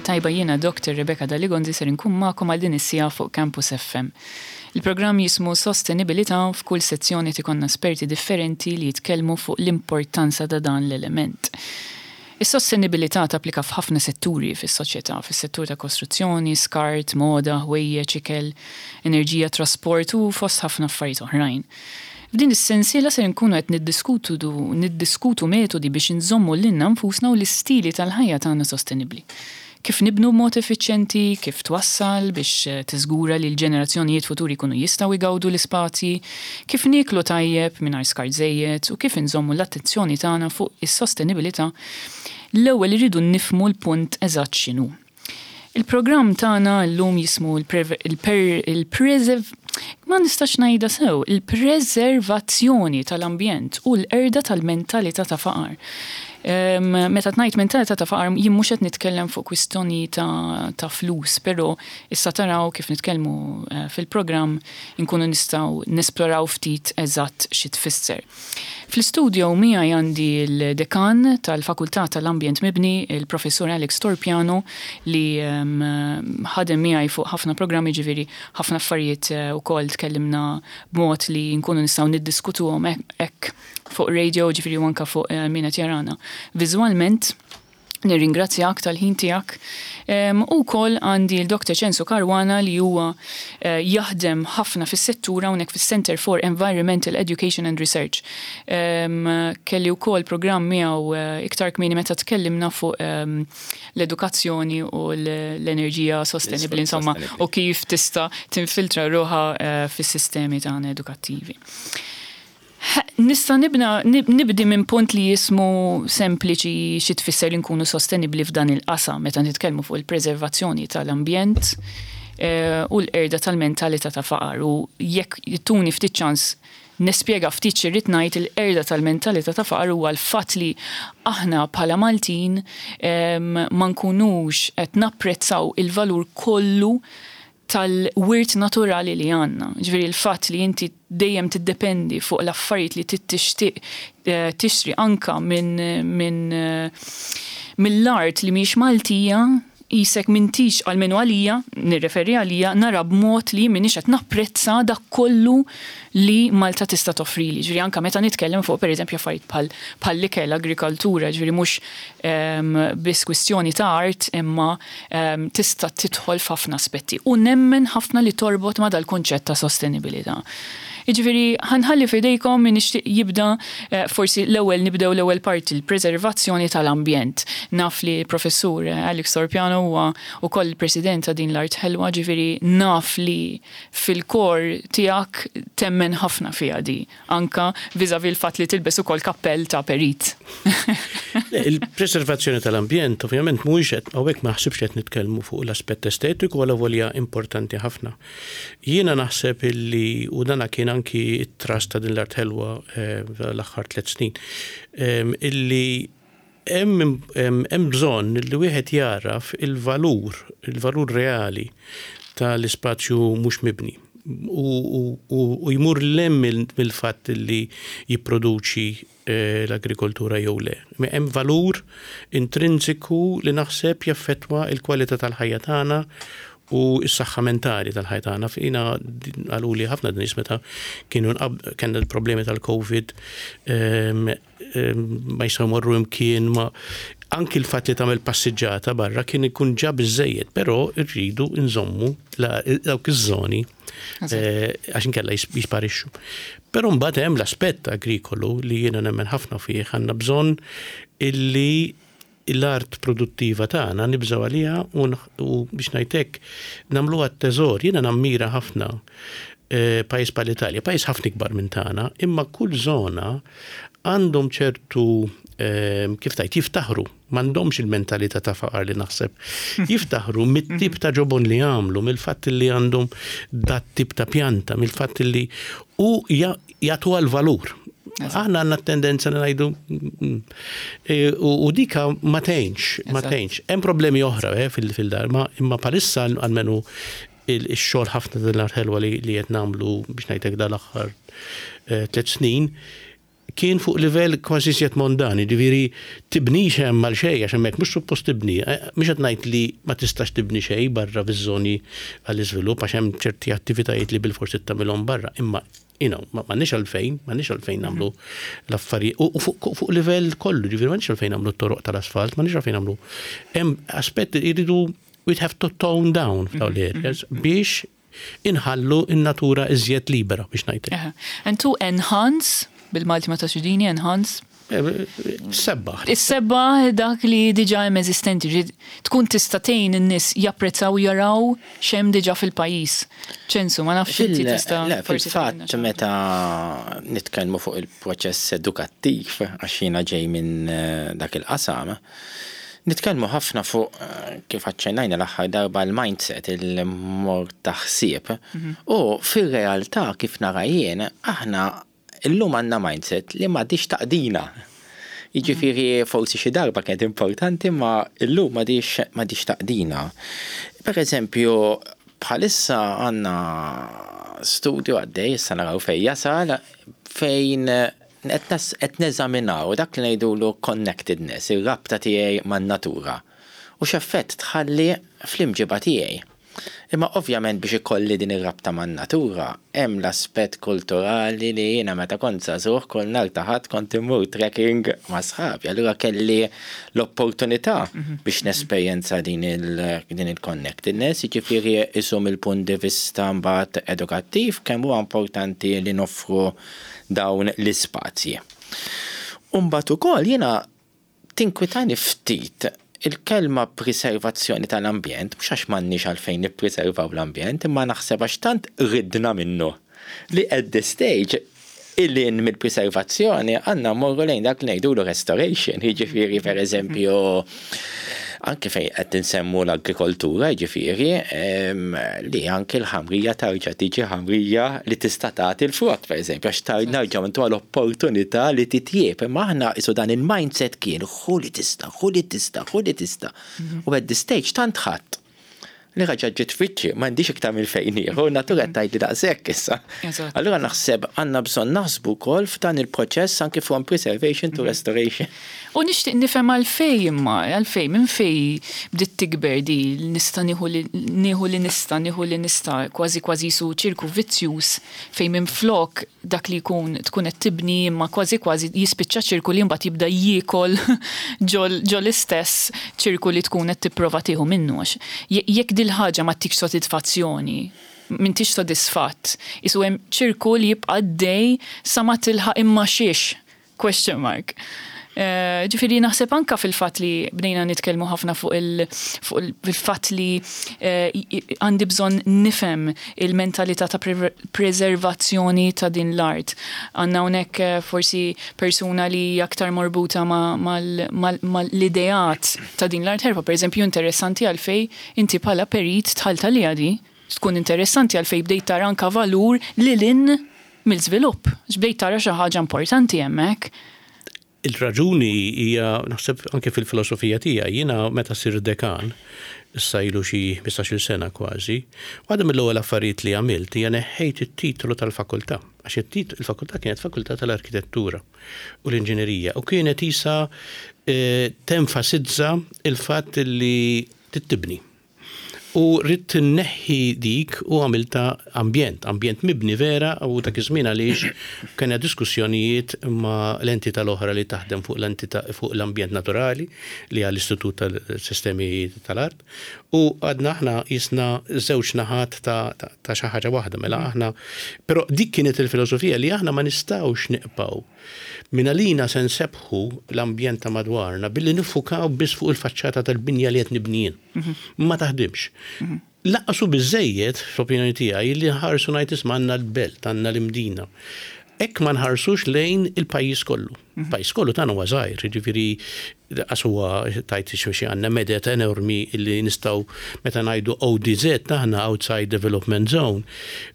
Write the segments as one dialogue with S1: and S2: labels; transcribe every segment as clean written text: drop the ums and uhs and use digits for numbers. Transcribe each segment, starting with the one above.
S1: tajba jiena Dr. Rebecca Daligonzi ser inkun magħkom għal din is-siegħa fuq Campus FM. Il-programm jismu Sostenibilità u f'kull sezzjoni qed ikollna esperti differenti li jitkellmu fuq l-importanza ta' dan l-element. Is-sostenibilità tapplika f'ħafna setturi fis-soċjetà, fis-settur ta' kostruzzjoni, skart, moda, ħwejjeġ, ikel, enerġija, trasport u fost ħafna affarijiet oħrajn. F'din is-sensiela ser inkunu qed niddiskutu niddiskutu metodi biex inżommu lilna nfusna u l-istili tal-ħajja tagħna sostenibbli. Kif nibnu b'mod effiċjenti, kif twassal biex tiżgura li l-ġenerazzjonijiet futuri jkunu jistgħu jgawdu l-ispazji, kif nieklu tajjeb mingħajr skart żejjed u kif inżommu l-attenzjoni tagħna fuq is-sostenibilità, l-ewwel irridu nifhmu l-punt eżatt x'inhu. Il-programm tagħna llum jismu l-preserv ma nistax ngħidha sew, il-preservazzjoni tal-ambjent u l-qerda tal-mentalità ta' faqar. Meta ngħid mentalità ta' faqar jien mhux qed nitkellem fuq kwistjoni ta' flus, però issa taraw kif nitkellmu eh, fil-programm inkunu nistgħu nesploraw ftit eżatt xi tfisser. Fl-istudio miegħi għandi l-Dekan tal-Fakultà tal-Ambjent Mibni, il-Professur Alex Torpiano li ħadem miegħi fuq ħafna programmi ġifieri ħafna affarijiet eh, ukoll tkellimna b'mod li nkunu nistgħu niddiskutuhom hekk fuq radio ġifieri u anke fuq eh, min qed jarana. Viżwalment Nirringrazzjak tal-ħin tiegħek. U wkoll għandi l-Dr. Censu Caruana li huwa eh, jaħdem ħafna fis-settur hawnhekk fis-Center for Environmental Education and Research. Kelli wkoll programm miegħu eh, iktar kmieni meta tkellimna fuq l-edukazzjoni u l-enerġija sostenibbli insomma u kif tista' tinfiltra ruħha eh, fis-sistemi tagħna edukattivi. Nista' nibna nibdi minn punt li jismu sempliċi xi tfisser li nkunu sostenibbli f'dan il-qasam meta nitkellmu fuq il-preservazzjoni tal-ambjent eh, u l-qerda tal-mentalità ta' faqar u jekk tuni ftit ċans nispjega ftit xi rrid ngħid il-qerda tal-mentalità ta' faqar huwa l-fatt li aħna bħala Maltin ma nkunux qed napprezzaw il-valur kollu tal-wirt naturali li għandna. Ġifieri l-fatt li inti dejjem tiddependi fuq l-affarijiet li tixtieq eh, tixtri anka minn min, eh, mill-art li mhijiex Maltija, qisek m'intix almenu għalija, nirreferi għalija, nara b'mod li m'iniex qed napprezza dak kollu li Malta tista' toffrili. Ġifieri anka meta nitkellem fuq pereżempju affarijiet bħal bħall-ikel, agrikoltura, ġifieri mhux ehm, biss kwistjoni ta' art imma tista' tidħol f'ħafna aspetti u nemmen ħafna li torbot ma' dal-kunċett ta' sostenibilità. Jiġifieri ħa nħalli f'idejkom min ixtieq jibda eh, forsi l-ewwel nibdew l-ewwel parti l-preservazzjoni tal-ambjent. Naf li professur eh, Alex Torpiano huwa wkoll il-president ta' din l-art ħelwa, ġifieri naf li fil-kor tiegħek temmen ħafna fiha di. Anka vis-à-vis l-fatt li tilbes ukoll kappell ta' perit.
S2: Il-preservazzjoni tal-ambjent ovvjament mhuwiex qed hawnhekk ma naħsibx qed nitkellmu fuq l-aspett estetiku alavolja importanti ħafna. Jiena naħseb illi u dana kien anki t-thrust ta' din l-art ħelwa eh, l-aħħar tliet snin eh, illi hemm hemm bżonn li wieħed jagħraf il-valur, il-valur reali tal-ispazju mhux mibni u jmur 'l hemm mill-fatt li jipproduċi eh, l-agrikoltura jew le. Hemm valur intrinsiku li naħseb jaffettwa l-kwalità tal-ħajja tagħna u s-saħħa mentali tal-ħajja tagħna. Fina qaluli ħafna nies meta kienu kellna l-problemi tal-Covid ehm, ma jistgħu jmorru imkien ma anki l-fatt li tagħmel passiġġata barra kien ikun ġa biżejjed, però rridu nżommu dawk iż-żoni eh, għax inkella jisparixxu. Però mbagħad hemm l-aspett agrikolu li jiena nemmen ħafna fih għandna bżonn illi l-art produttiva tagħna nibżgħu għaliha u biex ngħid hekk nagħmluha t-teżor. Jiena nammira ħafna eh, pajjiż bħal Italja, pajjiż ħafna ikbar minn tagħna, imma kull żona għandhom ċertu eh, kif tajt jiftaħru, m'għandhomx il-mentalità ta' faqar li naħseb. Jiftaħru mit-tip ta' ġobon li għamlu, mill-fatt li għandhom dat tip ta' pjanta, mill-fatt li u jagħtuha l-valur. Aħna għandna tendenza li ngħidu mm, e, u dika ma tgħinx, ma tgħinx. Hemm problemi oħra eh, fil-dar, imma palissa għalmenu il-xogħol ħafna din l-art ħelwa li qed nagħmlu biex ngħidlek dal-aħħar eh, tliet snin. kien fuq livell kważi iżjed mondan, jiġifieri tibnix hemm għal xejn għax hemmhekk mhux suppost tibni. Mhux qed ngħid li ma tistax tibni xejn barra fiż-żoni għall-iżvilupp għax hemm ċerti attivitajiet li bilfors trid tagħmilhom barra, imma you know, m'għandniex għalfejn, m'għandniex għalfejn nagħmlu l-affarijiet u fuq livell kollu, ġifieri m'għandniex għalfejn nagħmlu t-toroq tal-asfalt, m'għandniex għalfejn nagħmlu. Hemm aspett jridu we have to tone down f'dawn l-areas biex inħallu n-natura iżjed libera biex ngħid.
S1: And to enhance, bil-Malti ma tafx dini, enhance.
S2: Issebbaħ.
S1: Issebbaħ dak li diġà hemm eżistenti, ġifieri tkun tista' tgħin in-nies japprezzaw u jaraw x'hemm diġà fil-pajjiż. Ċensu, ma nafx inti tista'
S3: Le, fil-fatt meta nitkellmu fuq il-proċess edukattiv, għax jiena ġej minn dak il-qasam, nitkellmu ħafna fuq kif aċċennajna l-aħħar darba l-mindset, il-mod ta' ħsieb. U fir-realtà kif nara jien, aħna Illum għandna mindset li m'għadhiex taqdina. Jiġifieri forsi xi darba kienet importanti imma illum m'għadhiex m'għadhiex taqdina. Per eżempju, bħalissa għandna studju għaddej, issa naraw fejn jasal, fejn qed neżaminaw dak li ngħidulu connectedness, ir-rabta tiegħi man-natura u x'effett tħalli fl-imġiba tiegħi. Imma ovvjament biex ikolli din ir-rabta man-natura, hemm l-aspett kulturali li jiena meta kont żagħżugħ kull nhar ta' Ħadd kont immur trekking ma' sħabi, allura kelli l-opportunità biex nesperjenza din il-connectedness, jiġifieri qisu mill-punt di vista mbagħad edukattiv kemm huwa importanti li noffru dawn l-ispazji. U mbagħad ukoll jiena Tinkwitani ftit il-kelma priservazzjoni tal-ambjent, mhux għax m'għandniex għalfejn nippriservaw l-ambjent, imma naħseb għax tant ridna minnu li at this stage 'il hinn mill-priservazzjoni għandna mmorru lejn dak li ngħidulu restoration, jiġifieri pereżempju anke fejn qed insemmu l-agrikoltura, jiġifieri li anke l-ħamrija tarġa' tiġi ħamrija li tista' tagħti l-frott, pereżempju, għax nerġgħu ntuha l-opportunità li titjieb. Imma aħna qisu dan il-mindset kien ħu li tista', ħu li tista', ħu li tista'. U at this stage tant ħadt li raġa' ġiet f'wiċċi, m'għandix iktar minn fejn nieħu, n-natura qed tgħidli daqshekk issa. Allura naħseb għandna bżonn naħsbu wkoll f'dan il-proċess anke from preservation to restoration.
S1: U nixtieq nifhem għalfejn imma, għalfejn, minn fejn bdiet tikber di nista' nieħu li nieħu li nista' nieħu li nista' kważi kważi qisu ċirku vizzjuż fejn minflok dak li jkun tkun qed tibni imma kważi kważi jispiċċa ċirku li mbagħad jibda jiekol ġo l-istess ċirku li tkun qed tipprova tieħu minnu għax jekk dil-ħaġa ma ttikx sodidfazzjoni m'intix sodisfatt qisu hemm ċirku li jibqa' għaddej sa ma tilħaq imma xiex Question mark. Ġifieri naħseb anka fil-fatt li bdejna nitkellmu ħafna fuq il-fatt li għandi bżonn nifhem il-mentalità ta' preservazzjoni ta' din l-art. Għandna hawnhekk forsi persuna li hija aktar morbuta mal-ideat ta' din l-art ħerba. Pereżempju interessanti għalfejn inti bħala perit dħalt għaliha di. Tkun interessanti għalfejn bdejt tara anka valur lil hinn mill-żvilupp, għax bdejt tara xi ħaġa importanti hemmhekk.
S2: Il-raġuni hija, naħseb anke fil-filosofija tiegħi, jiena meta sirt dekan, issa ilu xi ħmistax-il sena kważi, waħda mill-ewwel affarijiet li għamilt hija neħħejt it-titolu tal-fakultà, għax il-fakultà kienet fakultà tal-arkitettura u l-inġinerija u kienet qisha tenfasizza l-fatt li trid tibni. U ridt inneħħi dik u għamiltha ambjent, ambjent mibni vera u dak iż-żmien għaliex kellna diskussjonijiet ma' l-entità l-oħra li taħdem fuq l-entità fuq l-ambjent naturali li hija l-Istitut tal-Sistemi tal-Art u għadna aħna qisna żewġ naħat ta' ta' xi ħaġa waħda mela aħna però dik kienet il-filosofija li aħna ma nistgħux nibqgħu Mingħalina se nsebbħu l-ambjent ta' madwarna billi niffukaw biss fuq il-faċċata tal-binja li qed nibni jien. Ma taħdimx. Lanqas hu biżżejjed, fl-opinjoni tiegħi, li nħarsu ngħid isma' għandna l-belt, għandna l-Imdina. Hekk ma nħarsux lejn il-pajjiż kollu. Pajjiż kollu tagħna huwa żgħir, jiġifieri qas huwa tajt xi għandna medet enormi li nistgħu meta ngħidu ODZ aħna Outside Development Zone,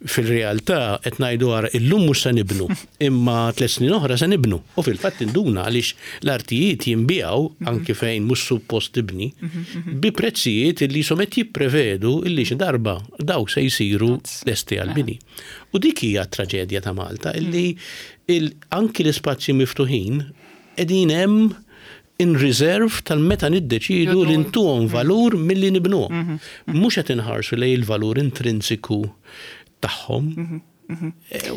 S2: fil-realtà qed ngħidu ara illum mhux se nibnu, imma tlett snin oħra se nibnu. U fil-fatt induna għaliex l-artijiet jinbiegħu anki fejn mhux suppost tibni bi prezzijiet li qishom qed jipprevedu illi xi darba dawk se jsiru lesti għall-bini. U dik hija t-traġedja ta' Malta illi anki l-ispazji miftuħin qegħdin hemm in reserve tal-meta niddeċiedu li ntuhom valur milli nibnuhom. Mhux qed inħarsu lejn il-valur intrinsiku tagħhom.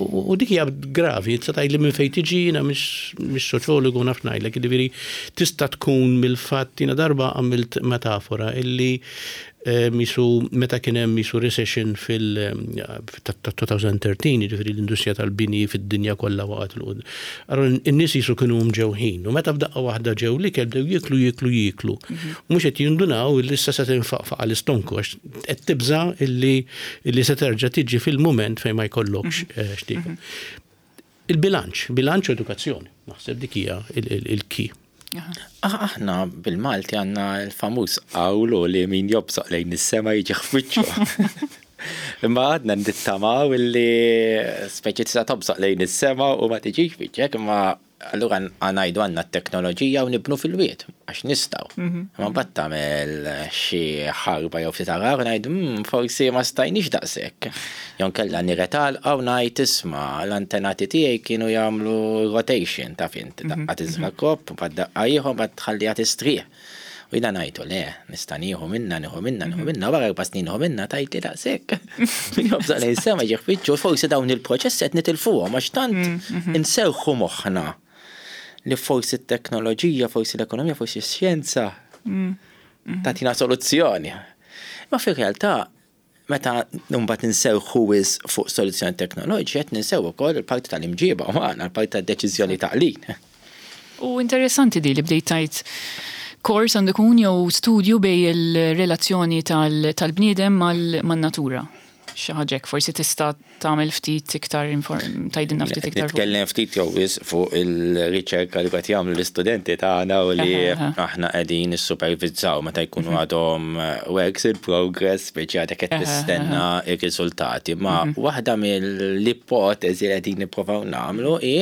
S2: U dik hija gravi, tista' tgħidli minn fejn tiġi, jiena mhix soċjologu naf ngħidlek, jiġifieri tista' tkun mill-fatt jiena darba għamilt metafora illi Qisu meta kien hemm qisu recession fil ta' 2013, jiġifieri l-industrija tal-bini fid-dinja kollha waqgħet 'il quddiem. Allura n-nies qisu kienu mġewħin u meta f'daqqa waħda ġew l-ikel bdew jieklu jieklu jieklu. U mhux qed jindunaw illi issa se tinfaqfaq għall-istonku għax qed tibża' illi illi se terġa' tiġi fil-mument fejn ma jkollokx x'tiekol. Il-bilanċ, bilanċ u edukazzjoni, naħseb dik hija il-key.
S3: Aħna bil-Malti għandna l-famuż qawlu li min jobsoq lejn is-sema jiġi f'wiċċu. Imma għadna nittamaw illi speċi tista' tobsoq lejn is-sema u ma tiġix f'wiċċek, imma allura ngħidu għandna t-teknoloġija u nibnu fil-wied għax nistgħu. Imma mbagħad tagħmel xi ħarba jew ftit għargħar u ngħidu hmm, forsi ma stajniex daqshekk. Jew inkella niret għalqa u ngħid isma' l-antenati tiegħi kienu jagħmlu rotation taf int, daqqa tiżra' crop, mbagħad daqqa ieħor, mbagħad tħalliha tistrieħ. U jiena ngħidu le, nista' nieħu minnha, nieħu minnha, nieħu minnha, wara erba' snin nieħu minnha tgħidli daqshekk. Min jobżaq lejn is-sema jiġi ħfiġġu, forsi dawn il-proċessi qed nitilfuhom għax tant inserrħu moħħna li forsi t-teknoloġija, forsi l-ekonomija, forsi x-xjenza tagħtina soluzzjoni. Ma fir-realtà Meta mbagħad inserrħu wisq fuq soluzzjoni teknoloġiċi qed ninsew ukoll il-parti tal-imġiba umana, il-parti tad-deċiżjoni taqlid.
S1: U interessanti di li bdejt tgħid kors għandu jkun jew studju bejn il-relazzjoni tal-bniedem man-natura. Xi ħaġa hekk, forsi tista' tagħmel ftit iktar tgħidilna ftit iktar.
S3: Nitkellem ftit jew wisq fuq il-riċerka li qed jagħmlu l-istudenti tagħna u li aħna qegħdin nissupervizzaw meta jkunu għadhom works in progress biex għadek qed tistenna r-riżultati. Ma waħda mill-ipoteżi li qegħdin nipprovaw nagħmlu hi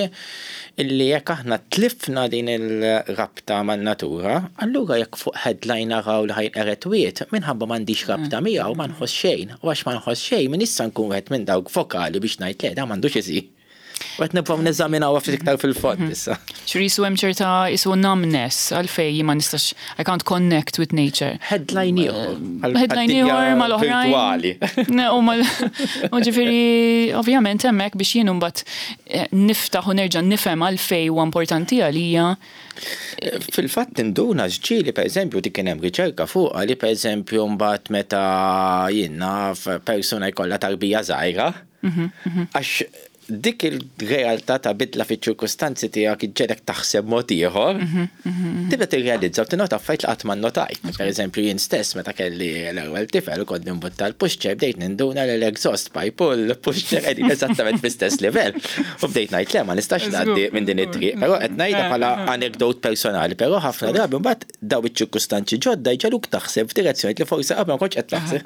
S3: illi jekk aħna tlifna din il-rabta man-natura, allura jekk fuq headline naraw li ħa jinqered wied, minħabba m'għandix rabta miegħu ma nħoss xejn. U għax ma nħoss xejn, m'iniex sa nkun wieħed minn dawk vokali biex ngħid le, dan m'għandux isir. U qed nipprovaw neżaminawha ftit iktar fil-fond issa.
S1: Ġifieri qisu hemm ċerta qisu numbness għalfejn jien ma nistax I can't connect with nature.
S3: Headline ieħor.
S1: Headline ieħor mal-oħrajn.
S3: Virtwali.
S1: U ġifieri ovvjament hemmhekk biex jien imbagħad niftaħ u nerġa' nifhem għalfejn huwa importanti għalija.
S3: Fil-fatt tinduna x'ġieli pereżempju dik kien hemm riċerka fuqha li pereżempju mbagħad meta jien naf persuna jkollha tarbija żgħira għax dik il-realtà ta' bidla fiċ-ċirkustanzi tiegħek iġġegħlek taħseb mod ieħor, tibda tirrealizza u tinnota affarijiet li qatt ma nnotajt. Pereżempju jien stess meta kelli l-ewwel tifel u kont nimbutta l-pushchair bdejt ninduna li l-exhaust pipe u l-pushchair qegħdin eżattament fl-istess livell. U bdejt ngħid le ma nistax ngħaddi minn din it-triq, però qed ngħidha bħala anekdot personali, però ħafna drabi mbagħad dawn iċ-ċirkustanzi ġodda jġegħluk taħseb f'direzzjonijiet li forsi qabel ma kontx qed taħseb.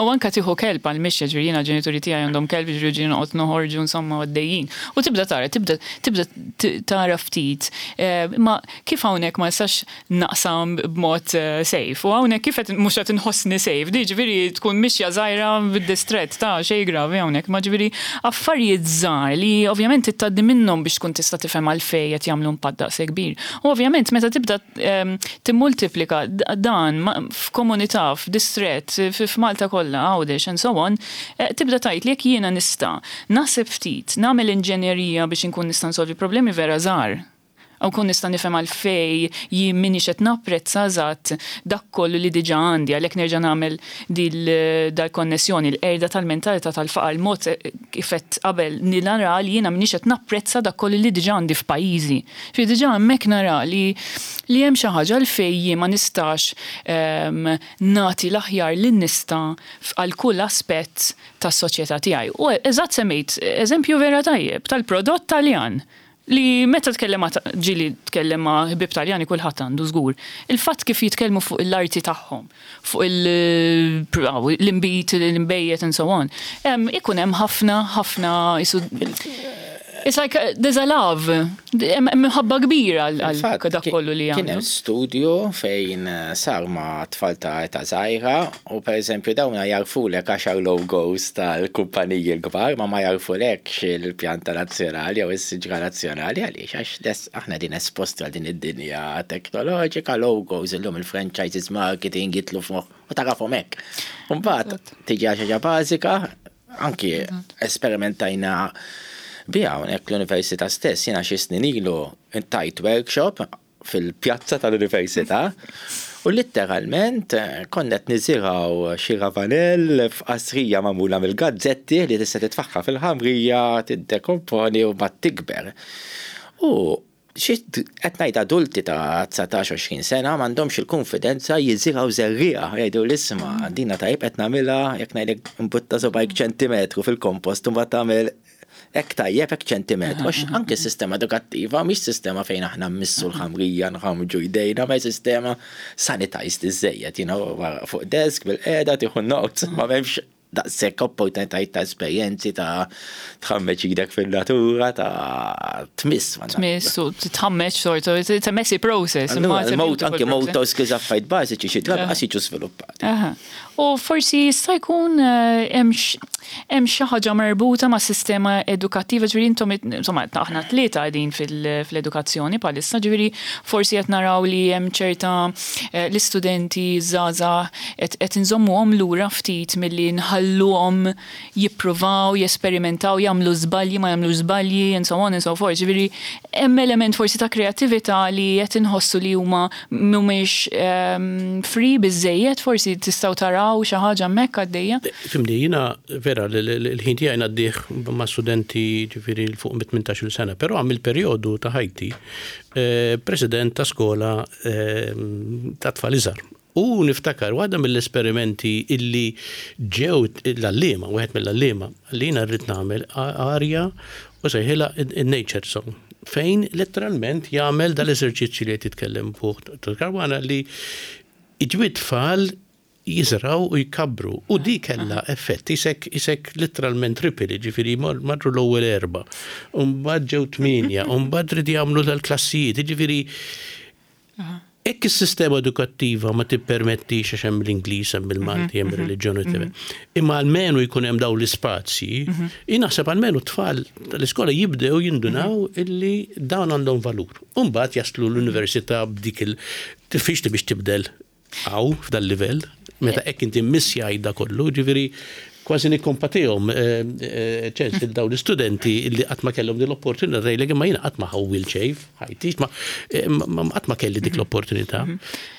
S1: U anke tieħu kelb għall-mixja, ġifieri jiena l-ġenituri tiegħi għandhom kelb, ġifieri ġieli noqgħod noħorġu insomma għaddejjin. U tibda tara, tibda tibda tara ftit. Imma kif hawnhekk ma nistax naqsam b'mod safe? U hawnhekk kif qed mhux qed inħossni safe? Di ġifieri tkun mixja żgħira bid-distrett ta' xejn gravi hawnhekk, imma ġifieri affarijiet żgħar li ovvjament trid tgħaddi minnhom biex tkun tista' tifhem għalfejn qed jagħmlu impatt daqshekk kbir. U ovvjament meta tibda timmultiplika dan f'komunità, f'distrett, f'Malta kollha, Għawdex and so on, tibda tgħid li jekk jiena nista' naħseb ftit, nagħmel inġenjerija biex inkun nista' nsolvi problemi vera żgħar, u nkun nista' nifhem għalfejn jien m'iniex qed napprezza eżatt dak kollu li diġà għandi, għalhekk nerġa' nagħmel dal-konnessjoni, l-qerda tal-mentalità tal-faqar, il-mod kif għedt qabel li nara li jiena m'iniex qed napprezza dak kollu li diġà għandi f'pajjiżi. Ġifieri diġà hemmhekk nara li li hemm xi ħaġa għalfejn jien ma nistax nagħti l-aħjar li nista' għal kull aspett tas-soċjetà tiegħi. U eżatt semmejt eżempju vera tajjeb tal-prodott Taljan. Li meta tkellem ma' ġieli tkellem ma' ħbieb Taljani kulħadd għandu żgur. Il-fatt kif jitkellmu fuq l-arti tagħhom, fuq l-inbid, l-inbejjed and so on, ikun hemm ħafna ħafna qisu It's like there's a love, hemm imħabba kbira għal dak kollu li
S3: jagħmlu. Kien hemm studju fejn sar ma' tfal ta' età żgħira u pereżempju dawn jagħrfulek għaxar logos tal-kumpaniji l-kbar ma ma jagħrfulekx il-pjanta nazzjonali jew is-siġra nazzjonali għaliex għax aħna qegħdin esposti għal din id-dinja teknoloġika, logos illum il-franchises marketing jidħlu f'moħħ u tarafhom hekk. U mbagħad tiġi għal xi ħaġa bażika, anki esperimentajna biha hawnhekk l-università stess, jiena xi snin ilu tajt workshop fil-pjazza tal-università u litteralment konna qed niżirgħu xi ravanell f'qasrija magħmula mill-gazzetti li tista' titfaħħa fil-ħamrija, tiddekomponi u mbagħad tikber. U xi qed ngħid adulti ta' 19-20 sena m'għandhomx il-kunfidenza jiżirgħu żerriegħa, jgħidu l-isma' dina tajjeb qed nagħmilha jekk ngħidlek imbutta subgħajk ċentimetru fil-kompost u mbagħad tagħmel hekk tajjeb hekk ċentimetru. Għax anke s-sistema edukattiva mhix sistema fejn aħna mmissu l-ħamrija nħammġu jdejna, ma sistema sanitized iżżejjed, you know, fuq desk bil-qiegħda tieħu notes, ma m'hemmx daqshekk opportunitajiet ta' esperjenzi ta' tħammeġ idek fil-natura, ta' tmiss.
S1: Tmiss u tħammeġ sort of, it's a messy process.
S3: Anke motor skills affarijiet bażiċi xi drabi qas jiġu sviluppati.
S1: U forsi jista' jkun hemm hemm xi ħaġa marbuta ma' sistema edukattiva, ġifieri intom insomma aħna tlieta qegħdin fil-edukazzjoni bħalissa, ġifieri forsi qed naraw li hemm ċerta l-istudenti żgħażagħ qed inżommuhom lura ftit milli nħalluhom jippruvaw, jesperimentaw, jagħmlu żbalji, ma jagħmlux żbalji, and so on and so forth. Ġifieri hemm element forsi ta' kreattività li qed inħossu li huma mhumiex free biżżejjed, forsi tistgħu taraw xi ħaġa hemmhekk għaddejja?
S2: Fimni, jiena vera l-ħin tiegħi ngħaddih ma' studenti ġifieri 'l fuq minn 18-il sena, però għamilt perjodu ta' ħajti president ta' skola ta' tfal iżgħar. U niftakar waħda mill-esperimenti illi ġew l-għalliema, wieħed mill-għalliema, li jiena rrid nagħmel arja u sejħilha in-nature zone, fejn letteralment jagħmel dal-eżerċizzju li qed jitkellem fuq Dottor Caruana li iġibu t-tfal jiżraw u jkabbru. U di kellha effett, isek isek literalment ripple, jiġifieri marru l-ewwel erbgħa, u mbagħad ġew tmienja, u mbagħad riedu jagħmlu dal-klassijiet, jiġifieri Hekk is-sistema edukattiva ma tippermettix għax hemm l-Ingliż, hemm il-Malti, hemm ir-reliġjon, imma almenu jkun hemm dawn l-ispazji, jien naħseb almenu t-tfal tal-iskola jibdew jindunaw illi dawn għandhom valur. U mbagħad jaslu l-università b'dik il diffiċli biex tibdel hawn f'dal-livell, meta hekk inti mmissjajt da kollu, ġifieri kważi nikkompatihom ċens lil dawn l-istudenti li qatt ma kellhom din l-opportunità tgħidlek imma jiena qatt ma ħawwilt xejn f'ħajti, qatt ma kelli dik l-opportunità.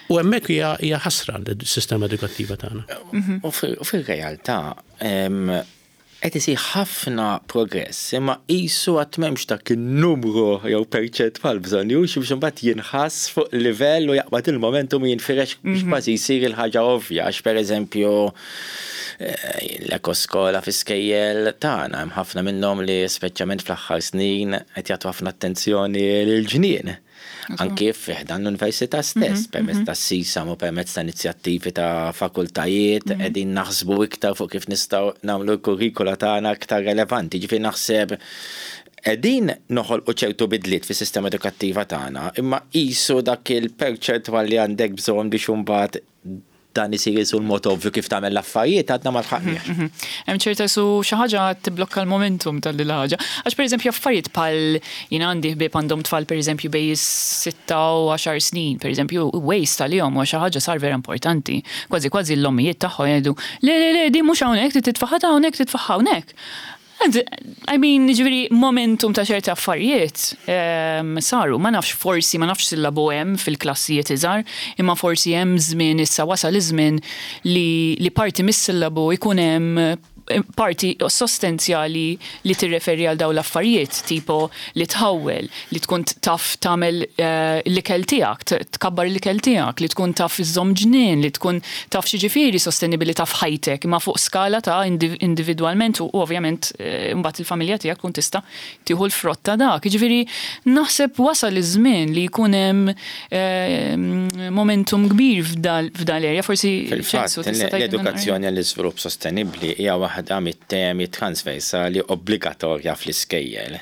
S2: U hemmhekk hija ħasra l-sistema edukattiva tagħna.
S3: U fir-realtà qed isir ħafna progress, imma qisu għad m'hemmx dak in-numru jew perċentwal bżonnjuż biex imbagħad jinħass fuq livell u jaqbad il-momentum u jinfirex biex kważi jsir il-ħaġa ovvja għax pereżempju l-ekoskola fi skejjel tagħna hemm ħafna minnhom li speċjalment fl-aħħar snin qed jagħtu ħafna attenzjoni lill-ġnien. Anki fi ħdan l-università stess, permezz ta' SISAM u permezz ta' inizjattivi ta' fakultajiet, qegħdin naħsbu iktar fuq kif nistgħu nagħmlu l-kurrikula tagħna iktar relevanti. Ġifieri naħseb qegħdin noħolqu ċertu bidliet fis-sistema edukattiva tagħna, imma qisu dak il-perċentwal li għandek bżonn biex imbagħad dan isir isu l-mod ovvju kif tagħmel l-affarijiet għadna ma lħaqniex.
S1: Hemm ċerta su xi ħaġa tibblokka l-momentum tal ħaġa. Għax pereżempju affarijiet bħal jien għandi ħbieb għandhom tfal pereżempju bejn is-6 u 10 snin, pereżempju waste għalihom huwa xi ħaġa sar vera importanti. Kważi kważi l-ommijiet tagħhom jgħidu le le le din mhux hawnhekk trid titfaħħa hawnhekk titfaħħa hawnhekk. I mean, ġifieri, momentum ta' ċerti affarijiet saru, ma nafx forsi, ma nafx sillabu hemm fil-klassijiet iżgħar, imma forsi hemm żmien issa wasal iż-żmien li, li parti mis-sillabu jkun hemm. parti sostenzjali li tirreferi għal dawn l-affarijiet, tipo li tħawwel, li tkun taf tagħmel l-ikel tiegħek, tkabbar l-ikel tiegħek, li tkun taf iżżomm ġnien, li tkun taf x'jiġifieri sostenibilità f'ħajtek, imma fuq skala ta' individwalment u ovvjament imbagħad il-familja tiegħek tkun tista' tieħu l-frott ta' dak. Jiġifieri naħseb wasal iż-żmien li jkun hemm momentum kbir f'dan l-area, forsi
S3: Ċensu tista' tgħidilna. L-edukazzjoni għall-iżvilupp sostenibbli hija waħda mit-temi transversali obbligatorja fl-iskejjel.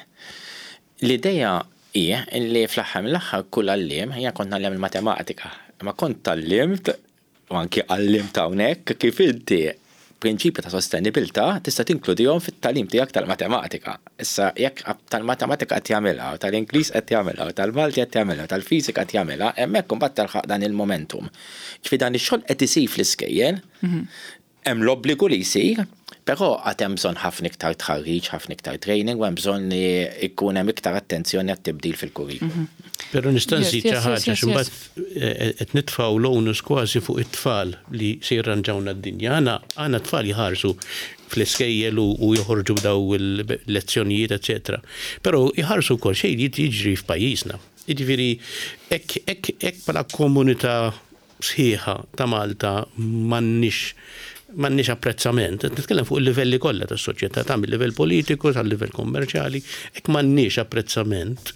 S3: L-idea hi li fl-aħħar mill-aħħar kull għalliem, jiena kont ngħallem il-matematika, imma kont tgħallimt u anki għallimt hawnhekk kif inti prinċipji ta' sostenibilità tista' tinkludihom fit-tagħlim tiegħek tal-matematika. Issa jekk tal-matematika qed jagħmilha, u tal-Ingliż qed jagħmilha, u tal-Malti qed jagħmilha, u tal-fiżika qed jagħmilha, hemmhekk imbagħad telħaq dan il-momentum. Ġifieri dan ix-xogħol qed isir fl-iskejjel, hemm l-obbligu li jsir, però għad hemm bżonn ħafna iktar tħarriġ, ħafna iktar training u hemm bżonn li jkun hemm iktar attenzjoni għat-tibdil fil-kurrikulu.
S2: Però nista' nżid xi ħaġa għax imbagħad qed nitfgħu l-onus kważi fuq it-tfal li se jirranġawna d-dinja. Aħna aħna t-tfal jħarsu fl-iskejjel u joħorġu b'daw il-lezzjonijiet eċċetera. Però jħarsu wkoll xejn jiġri f'pajjiżna. Jiġifieri hekk hekk hekk bħala komunità sħiħa ta' Malta m'għandniex m'għandniex apprezzament, qed nitkellem fuq il-livelli kollha tas-soċjetà, ta' mill-livell politiku sal-livell kummerċjali, hekk m'għandniex apprezzament,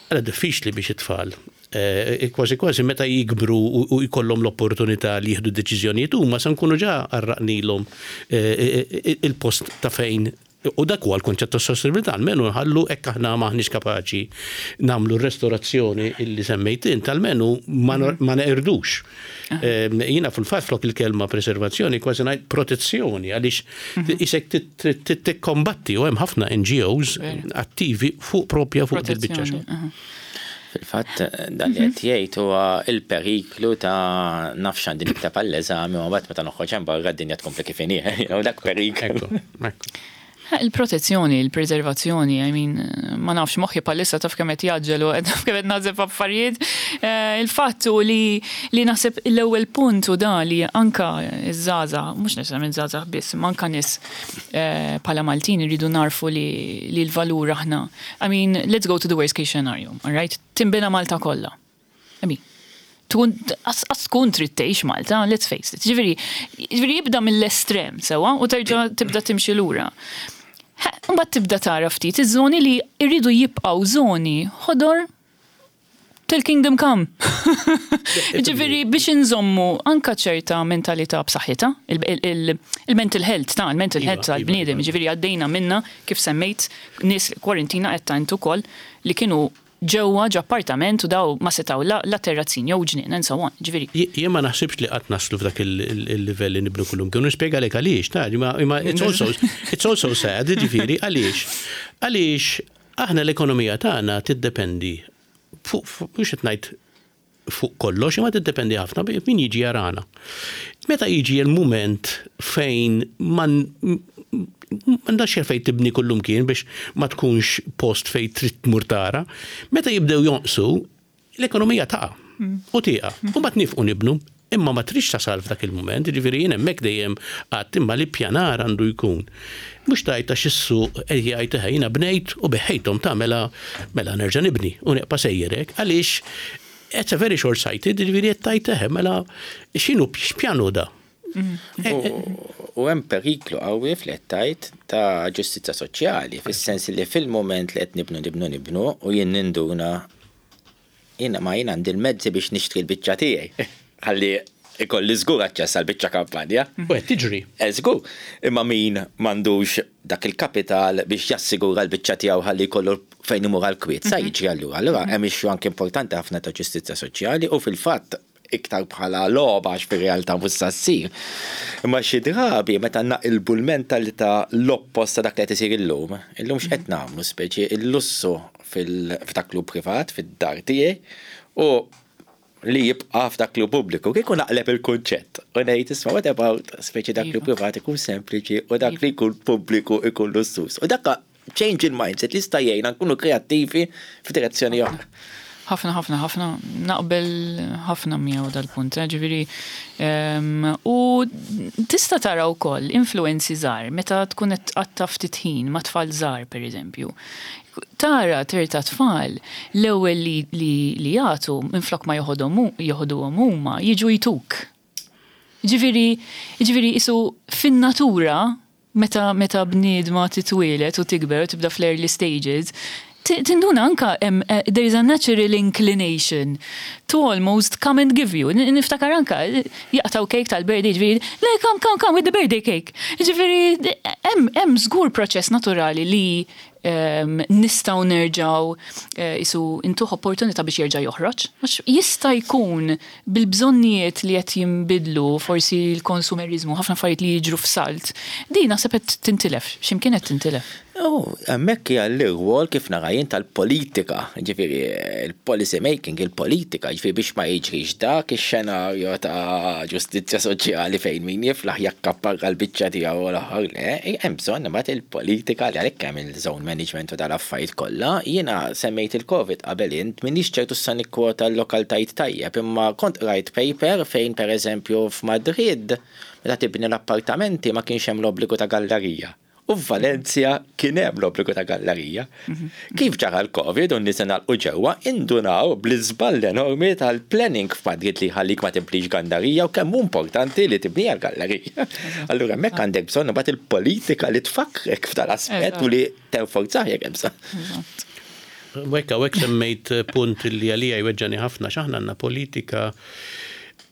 S2: għala diffiċli biex it-tfal eh, kważi kważi meta jikbru u jkollhom l-opportunità li jieħdu deċiżjonijiet huma se nkunu ġa għarraqnilhom eh, eh, il-post ta' fejn U dak huwa l-kunċett ta' sostenibilità, almenu nħallu hekk aħna m'aħniex kapaċi nagħmlu r-restorazzjoni illi semmejt int, almenu ma neqirdux. Ehm, jiena fil-fatt flok il-kelma preservazzjoni kważi ngħid protezzjoni għaliex mhm. isek tikkombatti u hemm ħafna NGOs attivi fuq propja fuq il-biċċa xogħol.
S3: Fil-fatt, dan li qed jgħid huwa l-periklu ta' naf x'għandi nikteb għall-eżami u mbagħad meta noħroġ hemm barra d-dinja tkompli kif inhi. Dak periklu.
S1: Il-protezzjoni, il-preservazzjoni, I mean, ma nafx moħħi bħalissa taf kemm qed jgħaġġel u taf kemm qed naħseb f'affarijiet. Il-fatt hu li li naħseb l-ewwel punt hu da li anka ż-żgħażagħ, mhux neċessarjament żgħażagħ biss, imma anka nies bħala Maltin irridu nagħrfu li l-valur aħna I mean, let's go to the worst case scenario, all right? Tinbena Malta kollha. I mean, tkun qas tkun trid tgħix Malta, let's face it. Ġifieri, ġifieri jibda mill-estrem sewwa u terġa' tibda timxi lura. Mbagħad tibda tara ftit iż-żoni li jridu jibqgħu żoni ħodor till kingdom come. Ġifieri biex inżommu anka ċerta mentalità b'saħħitha, il-mental health ta' il-mental health tal-bniedem, ġifieri għaddejna minna kif semmejt nies kwarantina qed ta' int ukoll li kienu ġewwa ġo appartament u daw ma setgħu la terrazzin jew ġnien and so on. Ġifieri.
S2: Jien ma naħsibx li qatt naslu f'dak il-livell li nibnu kullimkien u nispjegalek għaliex, ta' imma it's also it's also sad, ġifieri għaliex? Għaliex Aħna l-ekonomija tagħna tiddependi fuq, mhux qed ngħid fuq kollox, imma tiddependi ħafna min jiġi jarana. Meta jiġi l-mument fejn m'għandax fejn tibni kullumkien biex ma tkunx post fejn trid tmur tara, meta jibdew jonqsu, L-ekonomija taqa' u tieqaf. U mbagħad nifqu nibnu. Imma ma tridx tasal f'dak il-mument, jiġifieri jien hemmhekk dejjem għedt imma l-ippjanar għandu jkun. Mhux tgħid għax is-suq qed jgħid eħe jiena bnejt u beħħejthom ta' mela mela nerġa' nibni u nibqa' sejjer hekk għaliex it's a very short sighted, jiġifieri qed tgħid eħe mela x'inhu x'pjan hu da?
S3: U hemm periklu qawwi f'li qed tgħid ta' ġustizzja soċjali, fis-sens li fil-mument li qed nibnu nibnu nibnu u jien ninduna Jiena ma jien għandi l-mezzi biex nixtri l-biċċa tiegħi. Ħalli ikolli żgur aċċess għal biċċa kampanja.
S2: U qed tiġri.
S3: Eh, żgur. Imma min m'għandux dak il-kapital biex jassigura l-biċċa tiegħu ħalli jkollu fejn imur għall-kwiet, sa jiġri allura. Allura hemm issue anke importanti ħafna ta' ġustizzja soċjali u fil-fatt iktar bħala logħba għax fir-realtà mhux sa ssir. Imma xi drabi meta naqilbu l-mentalità l-oppost ta' dak li qed isir illum, illum x'qed nagħmlu speċi l-lussu f'dak li hu privat, fid-dar tiegħi, u li jibqa' f'dak li hu pubbliku. Kieku naqleb il-kunċett u ngħid isma' what about speċi dak li hu privat ikun sempliċi u dak li jkun pubbliku ikun lussuż. U dak change in mindset li jista' jgħinna nkunu kreattivi f'direzzjoni oħra.
S1: Ħafna, ħafna, ħafna, naqbel ħafna miegħu dal-punt, eh, ġifieri u tista' tara wkoll influenzi żgħar meta tkun qed tqatta' ftit ħin ma' tfal żgħar pereżempju. Tara terta' tfal l-ewwel li li jagħtu minflok ma joħodhom joħduhom huma jiġu jtuk. Ġifieri, ġifieri qisu fin-natura Meta meta bniedma titwieled u tikber u tibda fl-early stages, tinduna anka hemm there is a natural inclination to almost come and give you. Niftakar anka jaqtgħu cake tal-birthday jiġifieri, le come come come with the birthday cake. Jiġifieri hemm hemm żgur proċess naturali li nistgħu nerġgħu qisu ntuh opportunità biex jerġa' joħroġ. Għax jista' jkun bil-bżonnijiet li qed jinbidlu, forsi l-konsumeriżmu, ħafna affarijiet li jiġru f'salt, din naħseb qed tintilef, xi mkien qed tintilef.
S3: U hemmhekk hija l-irwol kif nara jien tal-politika, jiġifieri l-policy making, il-politika, jiġifieri biex ma jiġrix dak ix-xenarju ta' ġustizzja soċjali fejn min jiflaħ jakkapparra l-biċċa tiegħu u l-aħħar le, hemm bżonn imbagħad il-politika li għalhekk hemm il-zone management u dal-affarijiet kollha. Jiena semmejt il-Covid qabel int, m'iniex ċert hux sa nikkwota l-lokaltajiet tajjeb, imma kont qrajt paper fejn pereżempju f'Madrid meta tibni l-appartamenti ma kienx hemm l-obbligu ta' gallarija. U f'Valencia kien hemm l-obbligu ta' gallarija. Kif ġara l-Covid u n-nies ingħalqu ġewwa, indunaw bl-iżball enormi tal-planning f'Madrid li jħallik ma tibnix gallarija u kemm hu importanti li tibniha l-gallarija. Allura hemmhekk għandek bżonn imbagħad il-politika li tfakkrek f'dal-aspett u li tenforzah jekk hemm bżonn.
S2: Hekk hawnhekk semmejt punt li għalija jweġġani ħafna għax aħna għandna politika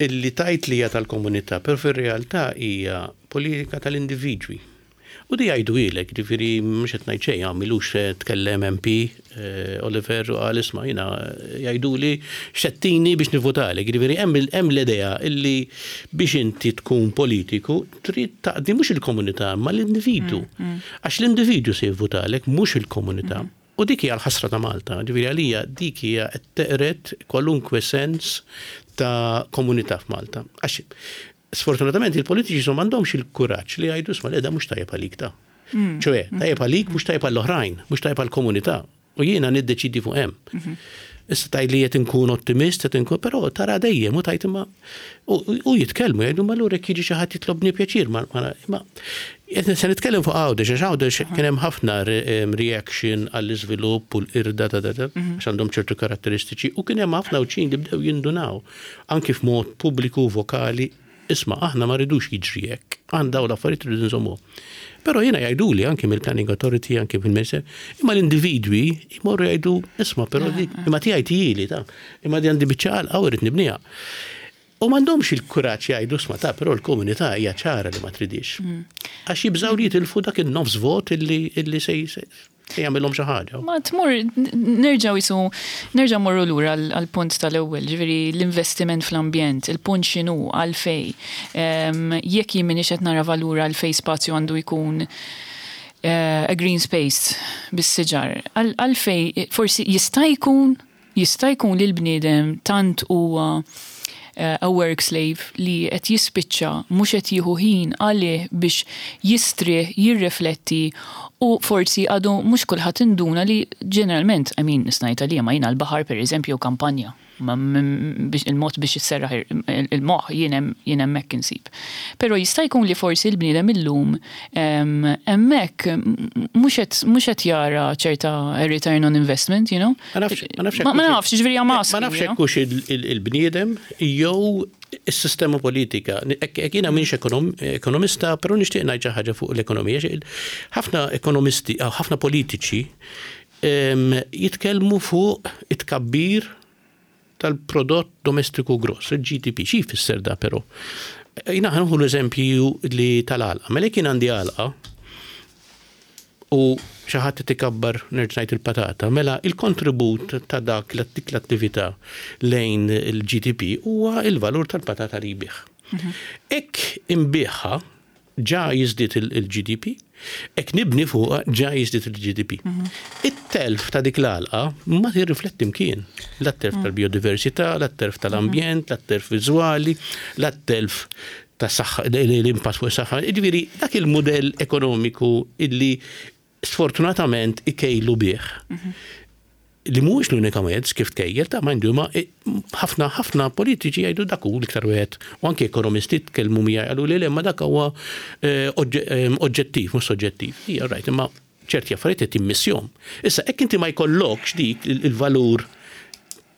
S2: illi tgħid li hija tal-komunità, però fir-realtà hija politika tal-individwi. U di jgħiduhielek, jiġifieri mhux qed ngħid xejn, hawn m'ilux tkellem MP Oliver u qal isma' jiena jgħiduli x'qed biex nivvutalek. Jiġifieri hemm l-idea illi biex inti tkun politiku trid taqdi mhux il-komunità imma l-individwu. Għax l-individwu se jivvutalek mhux il-komunità. U dik hija l-ħasra ta' Malta, ġifieri għalija dik hija qed teqred kwalunkwe sens ta' komunità f'Malta. Għax Sfortunatament il-politiċi so m'għandhomx il-kuraġġ li jgħidu isma' le da mhux tajjeb għalik ta. Mm. ċoe, tajjeb għalik mhux tajjeb għall-oħrajn, mhux tajjeb għall-komunità. U jiena niddeċidi fuq hemm. Mhm. Issa tajt li qed inkun ottimist, qed inkun, però tara dejjem u tajt imma u jitkellmu jgħidu ma lura jekk jiġi xi ħadd jitlobni pjaċir ma se nitkellem fuq Għawdex għax Għawdex kien hemm ħafna reaction għall-iżvilupp u l-qirda ta' mhm. għax għandhom ċertu karatteristiċi u kien hemm ħafna Għawdxin li bdew jindunaw Anki f'mod pubbliku u vokali, isma' aħna ma rridux jiġri hekk, aħna dawn l-affarijiet irridu nżommuhom. Però jiena jgħiduli anki mill-Planning Authority, anki mill-Minister, imma l-individwi jmorru jgħidu, isma' però dik, imma tiegħi tijili ta' imma di għandi biċċa għalqa u rrid nibniha. U m'għandhomx il-kuraġġ jgħidu, isma' ta' però l-komunità hija ċara li ma tridhiex. Għax jibżgħu li jitilfu dak in-nofs vot illi se Se jagħmilhom xi ħaġa.
S1: Ma tmur nerġgħu jisu nerġgħu morru lura għall-punt tal-ewwel, ġifieri l-investiment fl-ambjent, il-punt x'inhu għalfej. Ehm, jekk jien m'iniex qed nara valur għalfej spazju għandu jkun eh, a green space bis-siġar. Għalfej forsi jista' jkun Jista' jkun li l-bniedem tant huwa a work slave li qed jispiċċa mhux qed jieħu ħin għalih biex jistrieħ, jirrifletti u forsi għadu mhux kulħadd induna li ġeneralment, I mean nista' ngħid għalija ma jiena l-baħar pereżempju jew kampanja biex il-mod biex isserraħ il-moħħ jien hemm jien hemmhekk insib. Però jista' jkun li forsi l-bniedem illum hemmhekk mhux qed mhux qed jara ċerta return on investment, you know?
S2: Ma nafx, ma nafx.
S1: Ma nafx, ġifieri I'm
S2: asking. Ma nafx hekk hux il-bniedem jew is-sistema politika. Hekk jiena m'iniex ekonomista, però nixtieq ngħid xi ħaġa fuq l-ekonomija. Ħafna ekonomisti, ħafna politiċi jitkellmu fuq it-tkabbir tal-prodott domestiku gross, il-GDP. Xi jfisser da però? Jiena ħa nieħu l-eżempju li tal-għalqa. Mela jekk jien għandi għalqa u xi ħadd qed ikabbar nerġa' ngħid il-patata, mela il-kontribut ta' dak dik l-attività lejn il-GDP huwa il-valur tal-patata li jbigħ. Mhm. Hekk inbiegħha ġa jiżdied il-GDP, hekk nibni fuqha ġa jiżdied il-GDP. Mhm. It-telf ta' dik l-għalqa ma tirrifletti mkien. La telf mm. tal-biodiversità, la telf tal-ambjent, la telf viżwali, la telf ta' saħħa, l-impatt fuq is-saħħa. Jiġifieri dak il-mudell ekonomiku illi sfortunatament ikejlu bih. Mhm. Li mhuwiex l-unika mezz kif tkejjel ta' mind you ma ħafna ħafna politiċi jgħidu dak hu l-iktar wieħed u anke ekonomisti tkellmu miegħi qalu li le ma dak huwa eh, eh, oġġettiv mhux soġġettiv. Hija right, imma ċerti affarijiet qed timmissjom. Issa hekk inti ma jkollokx dik il-valur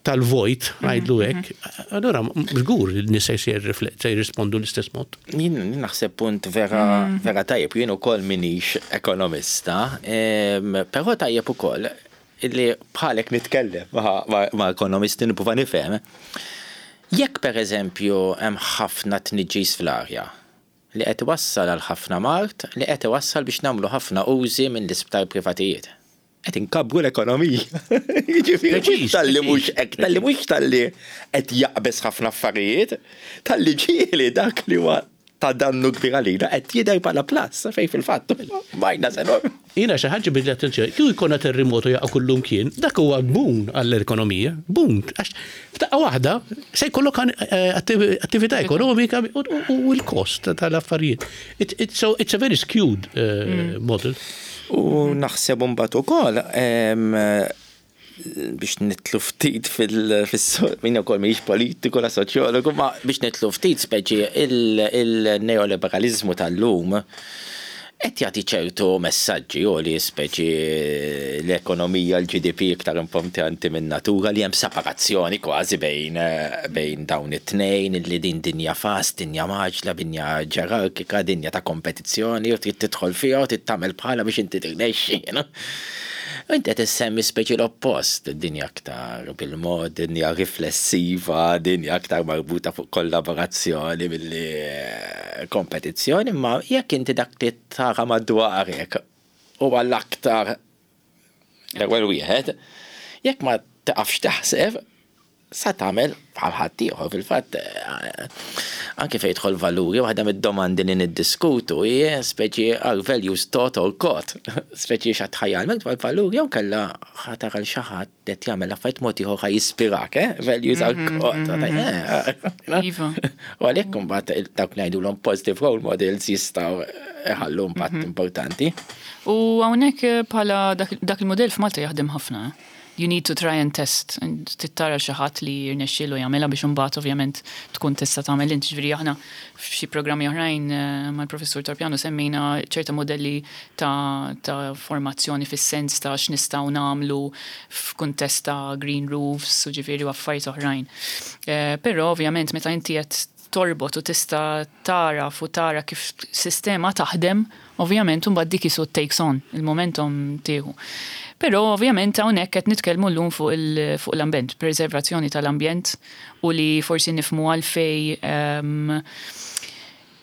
S2: tal-vojt, għajdlu mhm, hekk, mhm. allura żgur li nies se jirrispondu l-istess mod.
S3: Jien naħseb punt vera mhm. vera tajjeb, jien ukoll minix ekonomista, però tajjeb ukoll illi bħalek nitkellem ma' ekonomisti nipprova nifhem. Jekk pereżempju hemm ħafna tniġġis fl-arja li qed iwassal għal ħafna mard li qed iwassal biex nagħmlu ħafna użi mill-isptar privatijiet. Qed inkabbru l-ekonomija. Jiġifieri mhux talli mhux hekk, talli mhux talli qed jaqbeż ħafna affarijiet, talli ġieli dak li huwa ta' dannu kbir għalina qed jidher bħala plus fejn fil-fatt minus enormi.
S2: Jiena xi ħaġa ġibidli l-attenzjoni, kieku jkollna terremotu jaqa' kullumkien, dak huwa boon għall-ekonomija, boon, għax f'daqqa waħda se jkollok attività ekonomika u l-kost tal-affarijiet. So it's a very skewed model.
S3: U naħseb imbagħad ukoll biex nitlu ftit fil-suq, min ukoll mhijiex politiku la soċjologu, ma biex nitlu ftit speċi il-neoliberalizmu tal-lum qed jagħti ċertu messaġġi u li speċi l-ekonomija l-GDP iktar importanti minn natura li hemm separazzjoni kważi bejn bejn dawn it-tnejn li din dinja fast, dinja mgħaġġla, dinja ġerarkika, dinja ta' kompetizzjoni u trid tidħol fiha u trid tagħmel bħalha biex inti tirnexxi. Inti qed issemmi speċi l-oppost, dinja aktar bil-mod, dinja riflessiva, dinja aktar marbuta fuq kollaborazzjoni milli kompetizzjoni, imma jekk inti dak li tara madwarek huwa l-aktar l-ewwel wieħed, jekk ma tiqafx taħseb, sa tagħmel bħal ħaddieħor. Fil-fatt, anke fejn jidħol valuri, waħda mid-domandi li niddiskutu hi speċi are values taught or caught? Speċi x'għad ħa jgħallmek dwar valuri jew kellha ħa tara 'l xi ħadd qed jagħmel affarijiet mod ieħor ħa jispirak, eh? Values are caught.
S1: Iva.
S3: U għalhekk imbagħad dawk li ngħidulhom positive role models jistgħu iħallu impatt importanti.
S1: U hawnhekk bħala dak il-mudell f'Malta jaħdem ħafna. You need to try and test. Trid tara xi ħadd li jirnexxielu jagħmilha biex imbagħad ovvjament tkun tista' tagħmel int. Ġifieri aħna f'xi programmi oħrajn mal-Professur Torpiano semmejna ċerta mudelli ta' ta' formazzjoni fis-sens ta' x'nistgħu nagħmlu f'kuntest ta' green roofs u ġifieri u affarijiet oħrajn. Però ovvjament meta inti qed torbot u tista' tagħraf u tara kif sistema taħdem, ovvjament imbagħad dik qisu takes on, il-momentum tieħu. Però ovvjament hawnhekk qed nitkellmu llum fuq il fuq l-ambjent, preservazzjoni tal-ambjent u li forsi nifhmu għalfejn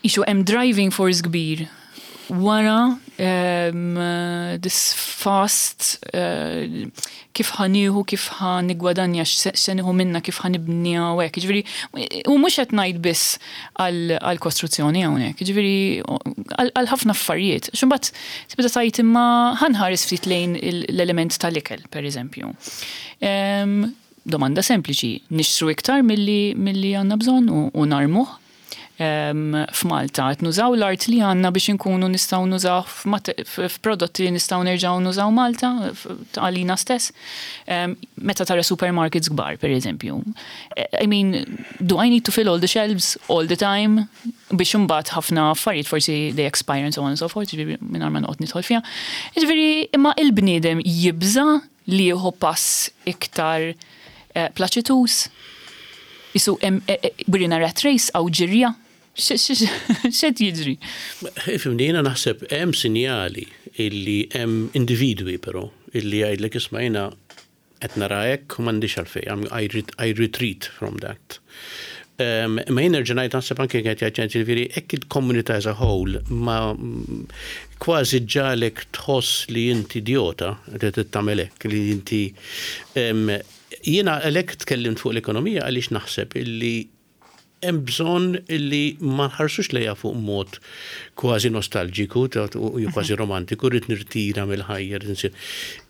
S1: qisu hemm driving force kbir wara this fast kif ħa nieħu, kif ħa niggwadanja, x'se nieħu minnha, kif ħa nibniha u hekk. Jiġifieri, u mhux qed ngħid biss għall-kostruzzjoni hawnhekk, jiġifieri għal ħafna affarijiet. Għax imbagħad tibda tgħid imma ħa nħares ftit lejn l-element tal-ikel, pereżempju. Domanda sempliċi, nixtru iktar milli milli għandna bżonn u narmuh? F'Malta qed nużaw l-art li għandna biex inkunu nistgħu nużaw f'prodotti li nistgħu nerġgħu nużaw Malta għalina stess. Meta tara supermarkets kbar, pereżempju. I mean, do I need to fill all the shelves all the time biex imbagħad ħafna affarijiet forsi they expire and so on and so forth, jiġifieri mingħajr ma noqgħod nidħol fiha. Jiġifieri imma il-bniedem jibża' li jieħu pass iktar plaċituż? Qisu hemm we're in a rat race hawn ġirja? X'qed jiġri?
S2: Ifhimni, jiena naħseb hemm sinjali illi hemm individwi però illi jgħidlek isma' jiena qed nara hekk u m'għandix għalfejn, I retreat from that. Imma jien nerġa' ngħid naħseb anke qed jgħid ġifieri hekk il-komunità as a whole ma kważi ġġagħlek tħoss li inti idjota li trid tagħmel hekk, li inti jiena għalhekk tkellimt fuq l-ekonomija għaliex naħseb illi. Hemm bżonn li ma nħarsux lejha fuq mod kważi nostalġiku u kważi romantiku, rrid nirtira mill-ħajja, rrid insir.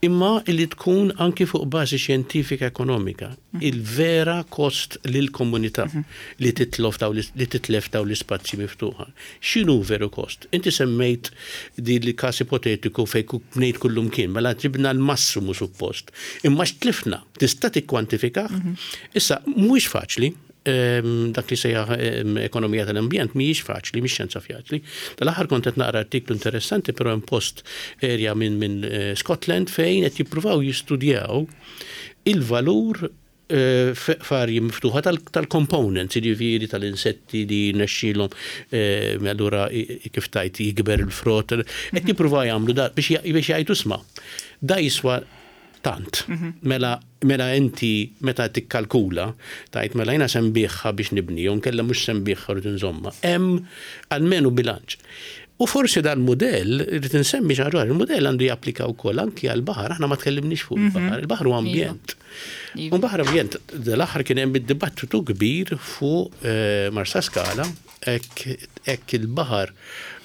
S2: Imma li tkun anki fuq bażi xjentifika ekonomika, il-vera kost lill-komunità li titlof li titlef dawn l-ispazji miftuħa. X'inhu veru kost? Inti semmejt din il-każ ipotetiku fejn bnejt kullumkien, mela ġibna l-massimu suppost. Imma x'tlifna? Tista' tikkwantifikah? Issa, mhuwiex faċli, dak li sejjaħ ekonomija tal-ambjent mhijiex faċli, mhix xjenza faċli. Tal-aħħar kont qed naqra artiklu interessanti però hemm post area minn min eh, Scotland fejn qed jippruvaw jistudjaw il-valur eh, f'arji miftuħa tal-components, jiġifieri tal-insetti li nexxilhom eh, allura kif tajt jikber il-frott, qed jippruvaw jagħmlu da biex jgħidu sma' da jiswa tant. Mela mela inti meta tikkalkula tgħid mela jiena se nbigħha biex nibni jew inkella mhux se nbigħha rrid inżommha. Hemm almenu bilanċ. U forsi dal-mudell, irrid insemmi xi ħaġa, il-mudell għandu japplika wkoll anki għall-baħar, aħna ma tkellimniex fuq il-baħar, il-baħar huwa ambjent. U baħar ambjent, dal-aħħar kien hemm id-dibattitu kbir fuq eh, Marsaskala Hekk il-baħar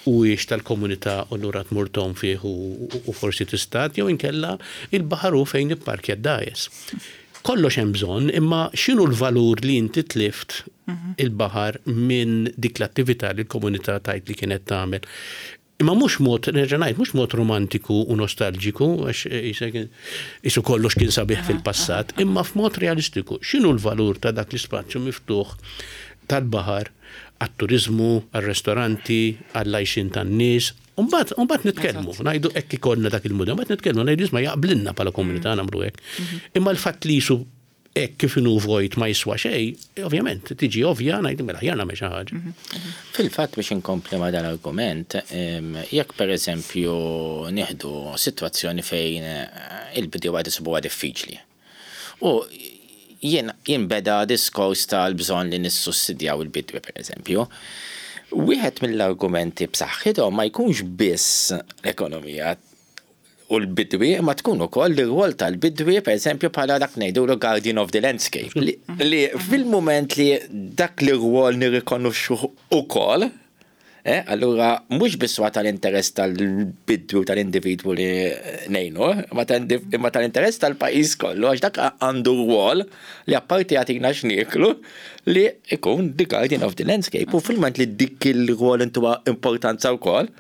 S2: huwiex tal-komunità u allura tmur tgħum fih u forsi tistad jew inkella il-baħar hu fejn ipparkja d-dgħajjes. Kollox hemm bżonn, imma x'inhu l-valur li inti tlift il-baħar minn dik l-attività li l-komunità tgħid li kienet tagħmel? Imma mhux mod, nerġa' ngħid, mhux mod romantiku u nostalġiku, għax qisek qisu kollox kien sabiħ fil-passat, imma f'mod realistiku. X'inhu l-valur ta' dak l-ispazju miftuħ tal-baħar għat-turiżmu, għar-restoranti, għall-għajxien tan-nies? U mbagħad, u mbagħad nitkellmu, ngħidu hekk ikollna dak il-mudell, mbagħad nitkellmu ngħidu isma' jaqblilna bħala komunità nagħmlu hekk. Imma l-fatt li qisu hekk kif inhu vojt ma jiswa xejn, ovvjament, tiġi ovvja ngħidu mela aħjar nagħmel xi ħaġa.
S3: Fil-fatt biex inkompli ma' dal-argument, jekk pereżempju nieħdu sitwazzjoni fejn il-bdiewa qed isibuha diffiċli u jinbeda diskors tal-bżonn li nissussidjaw il-bidwi pereżempju, wieħed mill-argumenti b'saħħithom ma jkunx biss l-ekonomija u l-bidwi imma tkun ukoll l-irwol tal-bidwi pereżempju bħala dak ngħidulu guardian of the landscape li fil-mument li dak l-irwol nirrikonoxxuh ukoll, eh, allura mhux biss huwa tal-interess tal-bidwi u tal-individwu li ngħinuh, imma tal-interess tal-pajjiż kollu għax dak għandu rwol li apparti jagħtina x'nieklu li jkun the guardian of the landscape u fil-mument li dik il-rwol intuha importanza wkoll,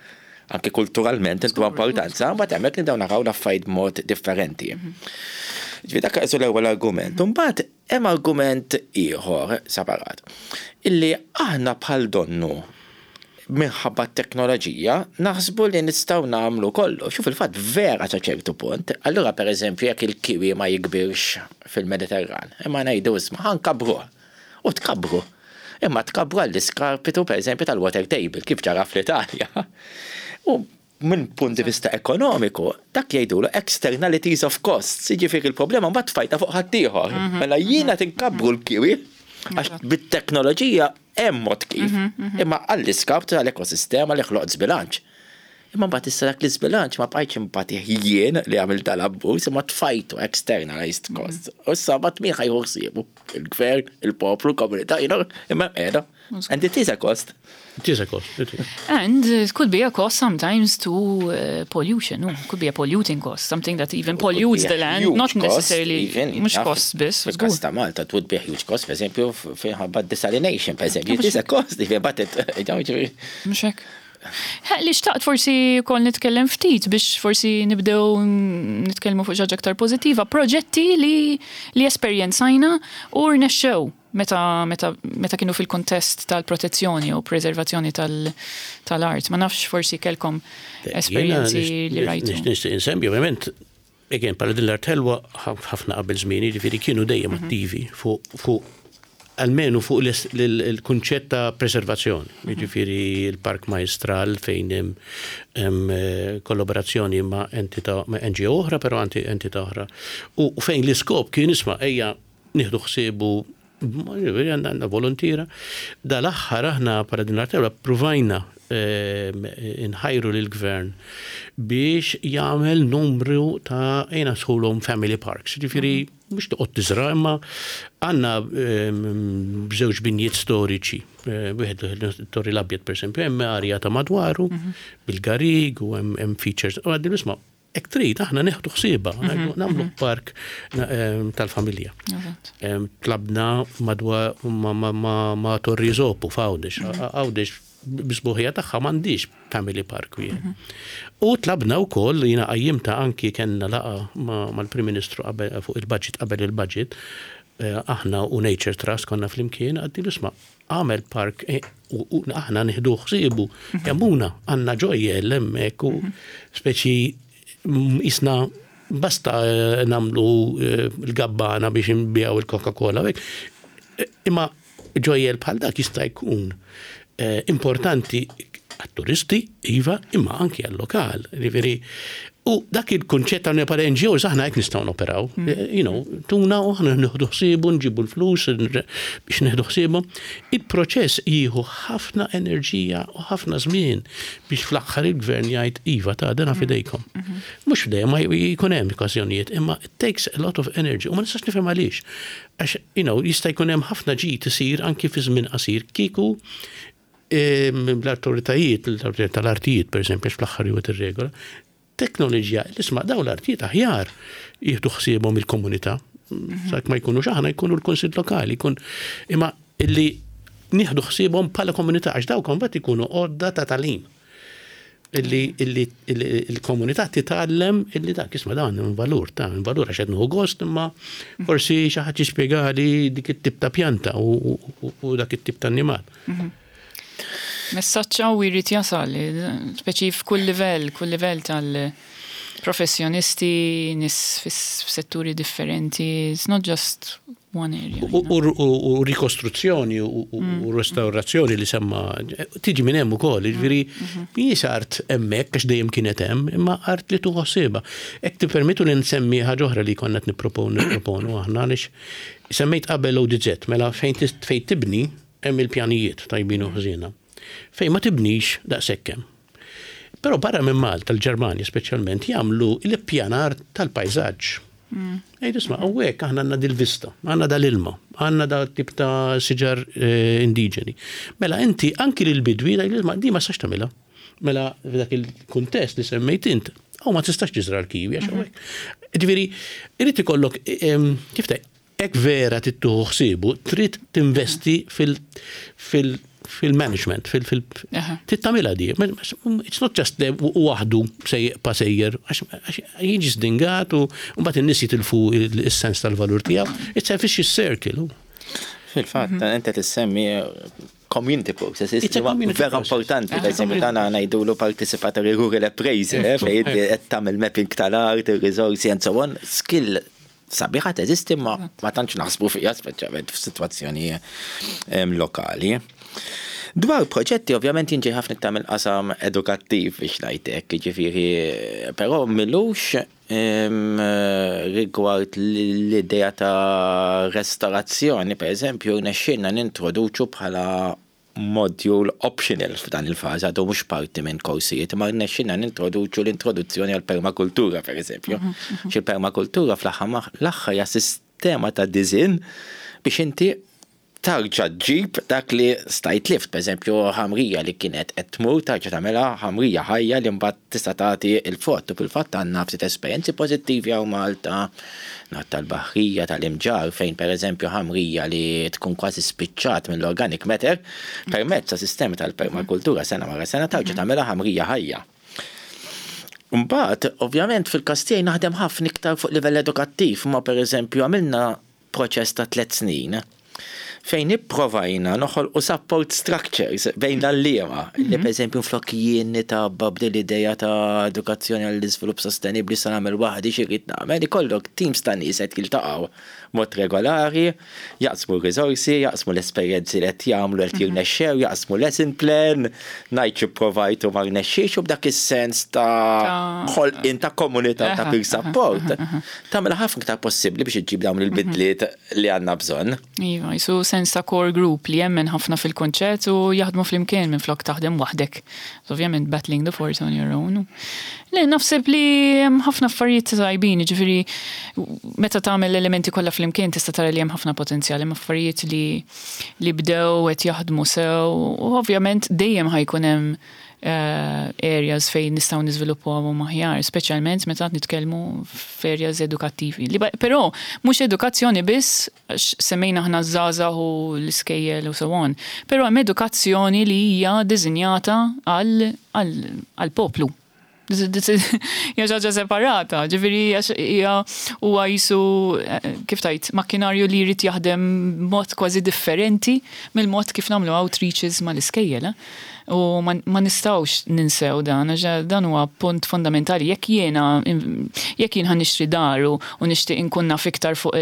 S3: anke kulturalment intu importanza, mbagħad hemmhekk nibdew naraw l-affarijiet b'mod differenti. Mhm. Ġifieri dak qisu l-ewwel argument. Imbagħad hemm argument ieħor separat illi aħna bħal donnu minħabba t-teknoloġija naħsbu li nistgħu nagħmlu kollox. U fil-fatt vera sa ċertu punt. Allura pereżempju jekk il-kiwi ma jikbirx fil-Mediterran, imma ngħidu isma' ħa nkabbruh. U tkabbru. Imma tkabbru għall-iskarpitu pereżempju tal-water table kif ġara fl-Italja. U minn punt di vista ekonomiku, dak jgħidulu externalities of costs, jiġifieri l-problema mbagħad tfajtha fuq ħaddieħor. Mhm. Mela jiena tinkabbru l-kiwi għax bit-teknoloġija hemm mod kif. Mhm, mhm. Imma għall-iskaptu tal-ekosistema li ħloqt żbilanċ. Imma mbagħad issa dak l-iżbilanċ ma bqajtx inbatih jien li għamilt dal-abbuż imma tfajtu externalized costs. U issa mbagħad min ħa jieħu ħsiebu? Il-gvern, il-poplu, il-komunità, you know, imma qiegħda. And it is a cost.
S2: It is a cost. It is.
S1: And it could be a cost sometimes to uh, pollution. No, could be a polluting cost, something that even pollutes the land, not necessarily mhux cost biss.
S3: Fil-każ ta' Malta, it would be a huge cost, per eżempju, minħabba desalination, per eżempju, it is a cost, even but it,
S1: Mhux hekk. Li xtaqt forsi wkoll nitkellem ftit biex forsi nibdew nitkellmu fuq xi ħaġa aktar pożittiva, proġetti li li esperjenzajna u rnexxew meta meta meta kienu fil-kuntest tal-protezzjoni u preservazzjoni tal-art. Ma nafx forsi kellkom esperjenzi li rajtu.
S2: Nixtieq insemmi ovvjament Again, bħala din l-art ħelwa ħafna qabel żmieni, jiġifieri kienu dejjem mhm. attivi fuq almenu fuq il-kunċett ta' preservazzjoni. Mhm. Jiġifieri l-Park Majstral fejn hemm eh, kollaborazzjoni ma' entità ma' NGO oħra, però anti entità oħra. U fejn l-iskop kien isma' ejja nieħdu ħsiebu għandna volontiera. Dal-aħħar aħna bħala din l-art ħelwa ppruvajna. inħajru lill-gvern biex jagħmel numru ta' ejna sħulhom family parks. Ġifieri mhux toqgħod tiżra' imma għandna żewġ binjiet storiċi, wieħed it-Torri l-Abjad pereżempju, hemm arja ta' madwaru bil-garig u hemm features. U għaddi isma' hekk trid aħna neħdu ħsiebha, nagħmlu park tal-familja. Tlabna madwar ma' Torri Zopu f'Għawdex. Għawdex bisbuħija tagħha m'għandix family park wieħed. U tlabna wkoll jiena qajjimta anki kellna laqgħa mal-Prim Ministru fuq il-budget qabel il-budget, aħna u Nature Trust konna flimkien għaddilu isma' għamel park u aħna nieħdu ħsiebu kemmuna għandna ġojjel hemmhekk u speċi isna basta nagħmlu l-gabbana biex nbiegħu il-Coca-Cola. Imma ġojjel bħal dak jista' jkun importanti għat-turisti, iva, imma anki għal-lokal. Ġifieri, u dak il-kunċett ta' bħala NGOs aħna hekk nistgħu noperaw. Tuna u aħna nieħdu ħsiebu, nġibu l-flus biex nieħdu ħsiebu. Il-proċess jieħu ħafna enerġija u ħafna żmien biex fl-aħħar il-gvern jgħid iva ta' dana fidejkom. Mhux dejjem ma jkun hemm okkażjonijiet, imma it takes a lot of energy u ma nistax nifhem għaliex. Għax, jista' jkun hemm ħafna ġid isir anki fi żmien qasir kieku l-awtoritajiet, l-awtoritajiet tal-artijiet, per eżempju, fl-aħħar juwet ir-regola, teknoloġija, l-isma' daw l-artijiet aħjar jieħdu ħsiebhom il-komunità. Sak ma jkunux aħna jkunu l-kunsill lokali, jkun imma illi nieħdu ħsiebhom bħala komunità għax dawk mbagħad ikunu għodda ta' tagħlim. Illi il-komunità titgħallem illi dak isma' dan hemm valur ta' hemm valur għax qed nieħu gost imma forsi xi ħadd jispjegali dik it-tip ta' pjanta u dak it-tip ta' annimal.
S1: Messaġġ qawwi jrid jasal, speċi f'kull livell, kull livell tal-professjonisti, nies f'setturi differenti, it's not just one area.
S2: U rikostruzzjoni u restaurazzjoni li semma tiġi minn hemm ukoll, jiġifieri mhijiex art hemmhekk għax dejjem kienet hemm, imma art li tuħu ħsiebha. Hekk tippermettu li nsemmi ħaġa oħra li konna qed nipproponu aħna għaliex semmejt qabel ODZ, mela fejn fejn tibni hemm il-pjanijiet tajbin u ħżiena. Fejn ma tibnix daqshekk hemm. Però barra minn Malta, l-Ġermanja speċjalment, jagħmlu l-ippjanar tal-pajżaġġ. Ejdu isma' hawnhekk aħna għandna dil-vista, għandna dal-ilma, għandna dal tip ta' siġar indiġeni. Mela inti anki lil bidwi isma' di ma tistax tagħmilha. Mela f'dak il-kuntest li semmejt int, hawn ma tistax tiżra' l-kiwi għax hawnhekk. Ġifieri, irid ikollok kif tgħid, hekk vera trid tieħu ħsiebu, trid tinvesti fil-management, trid tagħmilha di. It's not just waħdu pa sejjer, għax jiġi sdingat u mbagħad in-nies jitilfu is-sens tal-valur tiegħu. It's a vicious circle.
S3: Fil-fatt, inti tissemmi community processes
S2: It's a community
S3: vera
S2: process.
S3: importanti,
S1: It's a
S3: per esempio,
S1: community
S3: tagħna ngħidulu participatory rural appraisal, fejn qed tagħmel mapping tal-art, ir-risorsi and so on, skill sabiħa teżisti ma ma tantx naħsbu fiha speċjalment f'sitwazzjoni lokali. Dwar proġetti, ovvjament jinġi ħafna iktar mill-qasam edukattiv biex ngħidlek, jiġifieri, però milux rigward l-idea ta' restaurazzjoni, per eżempju, rnexxielna nintroduċu bħala module optional f'dan il-fażi, għadu mhux parti minn korsijiet, ma rnexxielna nintroduċu l-introduzzjoni għal permakultura, per eżempju. Xi permakultura fl-aħħar l-aħħar hija sistema ta' design biex inti tarġa ġġib dak li stajt lift, per eżempju, ħamrija li kienet qed tmur tarġa tagħmilha ħamrija ħajja li mbagħad tista' tagħti il-frott. U fil-fatt għandna ftit esperjenzi pożittivi hawn Malta, nat tal-Baħrija, tal-Imġarr, fejn per eżempju ħamrija li tkun kważi spiċċat mill-organic matter, permezz ta' sistemi tal-permakultura sena wara sena tarġa tagħmilha ħamrija ħajja. Mbagħad, ovvjament, fil-każ tiegħi naħdem ħafna iktar fuq livell edukattiv, ma per eżempju għamilna proċess ta' 3 snin fejn ipprovajna noħolqu support structures bejn l-għalliema, li per eżempju flok jien nitabba b'din l-idea ta' edukazzjoni għall-iżvilupp sostenibbli sa nagħmel waħdi xi rrid nagħmel, ikollok teams ta' nies qed jiltaqgħu mod regolari, jaqsmu r-riżorsi, jaqsmu l-esperjenzi li qed jagħmlu qed jirnexxew, jaqsmu lesson plan, ngħid xi provajt u ma rnexxiex u b'dak is-sens ta' ħolqien ta' komunità ta' peer support. Tagħmel ħafna iktar possibbli biex iġġib dawn il-bidliet li għandna bżonn.
S1: Iva. Jisu sens ta' core group li jemmen ħafna fil-konċett u jaħdmu flimkien minn flok taħdem waħdek. Ovvjament battling the force on your own. Le, naħseb li hemm ħafna affarijiet tajbin, ġifieri meta tagħmel l-elementi kollha flimkien tista' tara li hemm ħafna potenzjal, hemm affarijiet li bdew qed jaħdmu sew u ovvjament dejjem ħa jkun hemm areas fejn nistgħu niżviluppawhom aħjar, speċjalment meta nitkellmu f'areas edukattivi. Però mhux edukazzjoni biss, semmejna aħna żgħażagħ u l-iskejjel u so on, però hemm edukazzjoni li hija disinjata għal poplu. Hija ħaġa separata, ġifieri hija huwa jisu kif tajt makkinarju li jrid jaħdem mod kważi differenti mill-mod kif nagħmlu outreaches mal-iskejjel. U ma nistgħux ninsew dan, għax dan huwa punt fundamentali. Jekk jien ħa nixtri dar u nixtieq inkun naf iktar fuq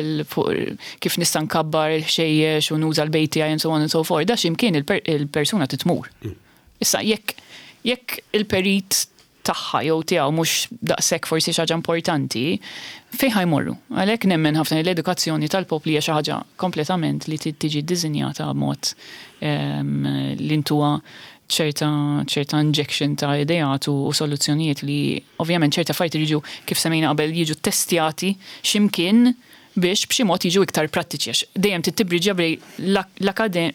S1: kif nista' nkabbar il-ħxejjex u nuża l-bejt tiegħi and so on and so forth, da x'imkien il-persuna titmur. Issa jekk il-perit tagħha jew tiegħu mhux daqshekk forsi xi ħaġa importanti, fejn ħa jmorru? Għalhekk nemmen ħafna li l-edukazzjoni tal-popli hija xi ħaġa kompletament li tiġi ddisinjata b'mod li ntuha ċerta injection ta' ideat u soluzzjonijiet li ovvjament ċerta affarijiet jiġu, kif semmejna qabel, jiġu testjati x'imkien biex b'xi mod jiġu iktar prattiċi, għax dejjem tittibriġja bejn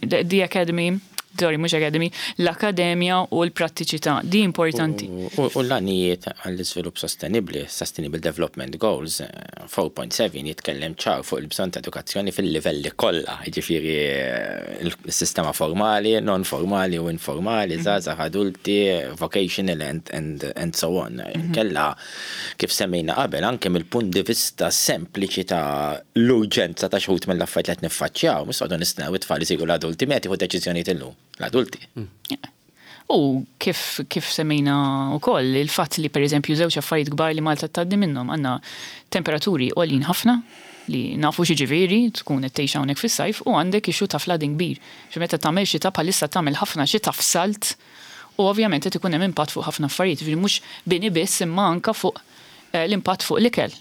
S1: the academy, sorry, mhux academy, l-akademja u l-prattiċità. Di importanti.
S3: U l-għanijiet għall-iżvilupp sostenibli, Sustainable Development Goals 4.7 jitkellem ċar fuq il-bżonn ta' edukazzjoni fil-livelli kollha, jiġifieri il-sistema formali, non formali u informali, żgħażagħ, adulti, vocational and so on. Kella kif semmejna qabel, anke mill-punt di vista sempliċi ta' l-urġenza ta' xi wħud mill-affarijiet li qed niffaċċjaw, mhux noqogħdu nistennew it-tfal isiru l-adulti, meta jieħu deċiżjonijiet illum l-adulti.
S1: U kif semmejna u koll, il-fatt li per eżempju żewġ affarijiet kbar li Malta tgħaddi minnhom, għandna temperaturi għoljin ħafna li nafu x'jiġifieri tkun qed tgħix hawnhekk fis-sajf, u għandek issue ta' flooding kbir. Xi meta tagħmel xita, bħalissa tagħmel ħafna xita f'salt u ovvjament qed ikun hemm impatt fuq ħafna affarijiet, ġifieri mhux bini biss imma anka fuq l-impatt fuq l-ikel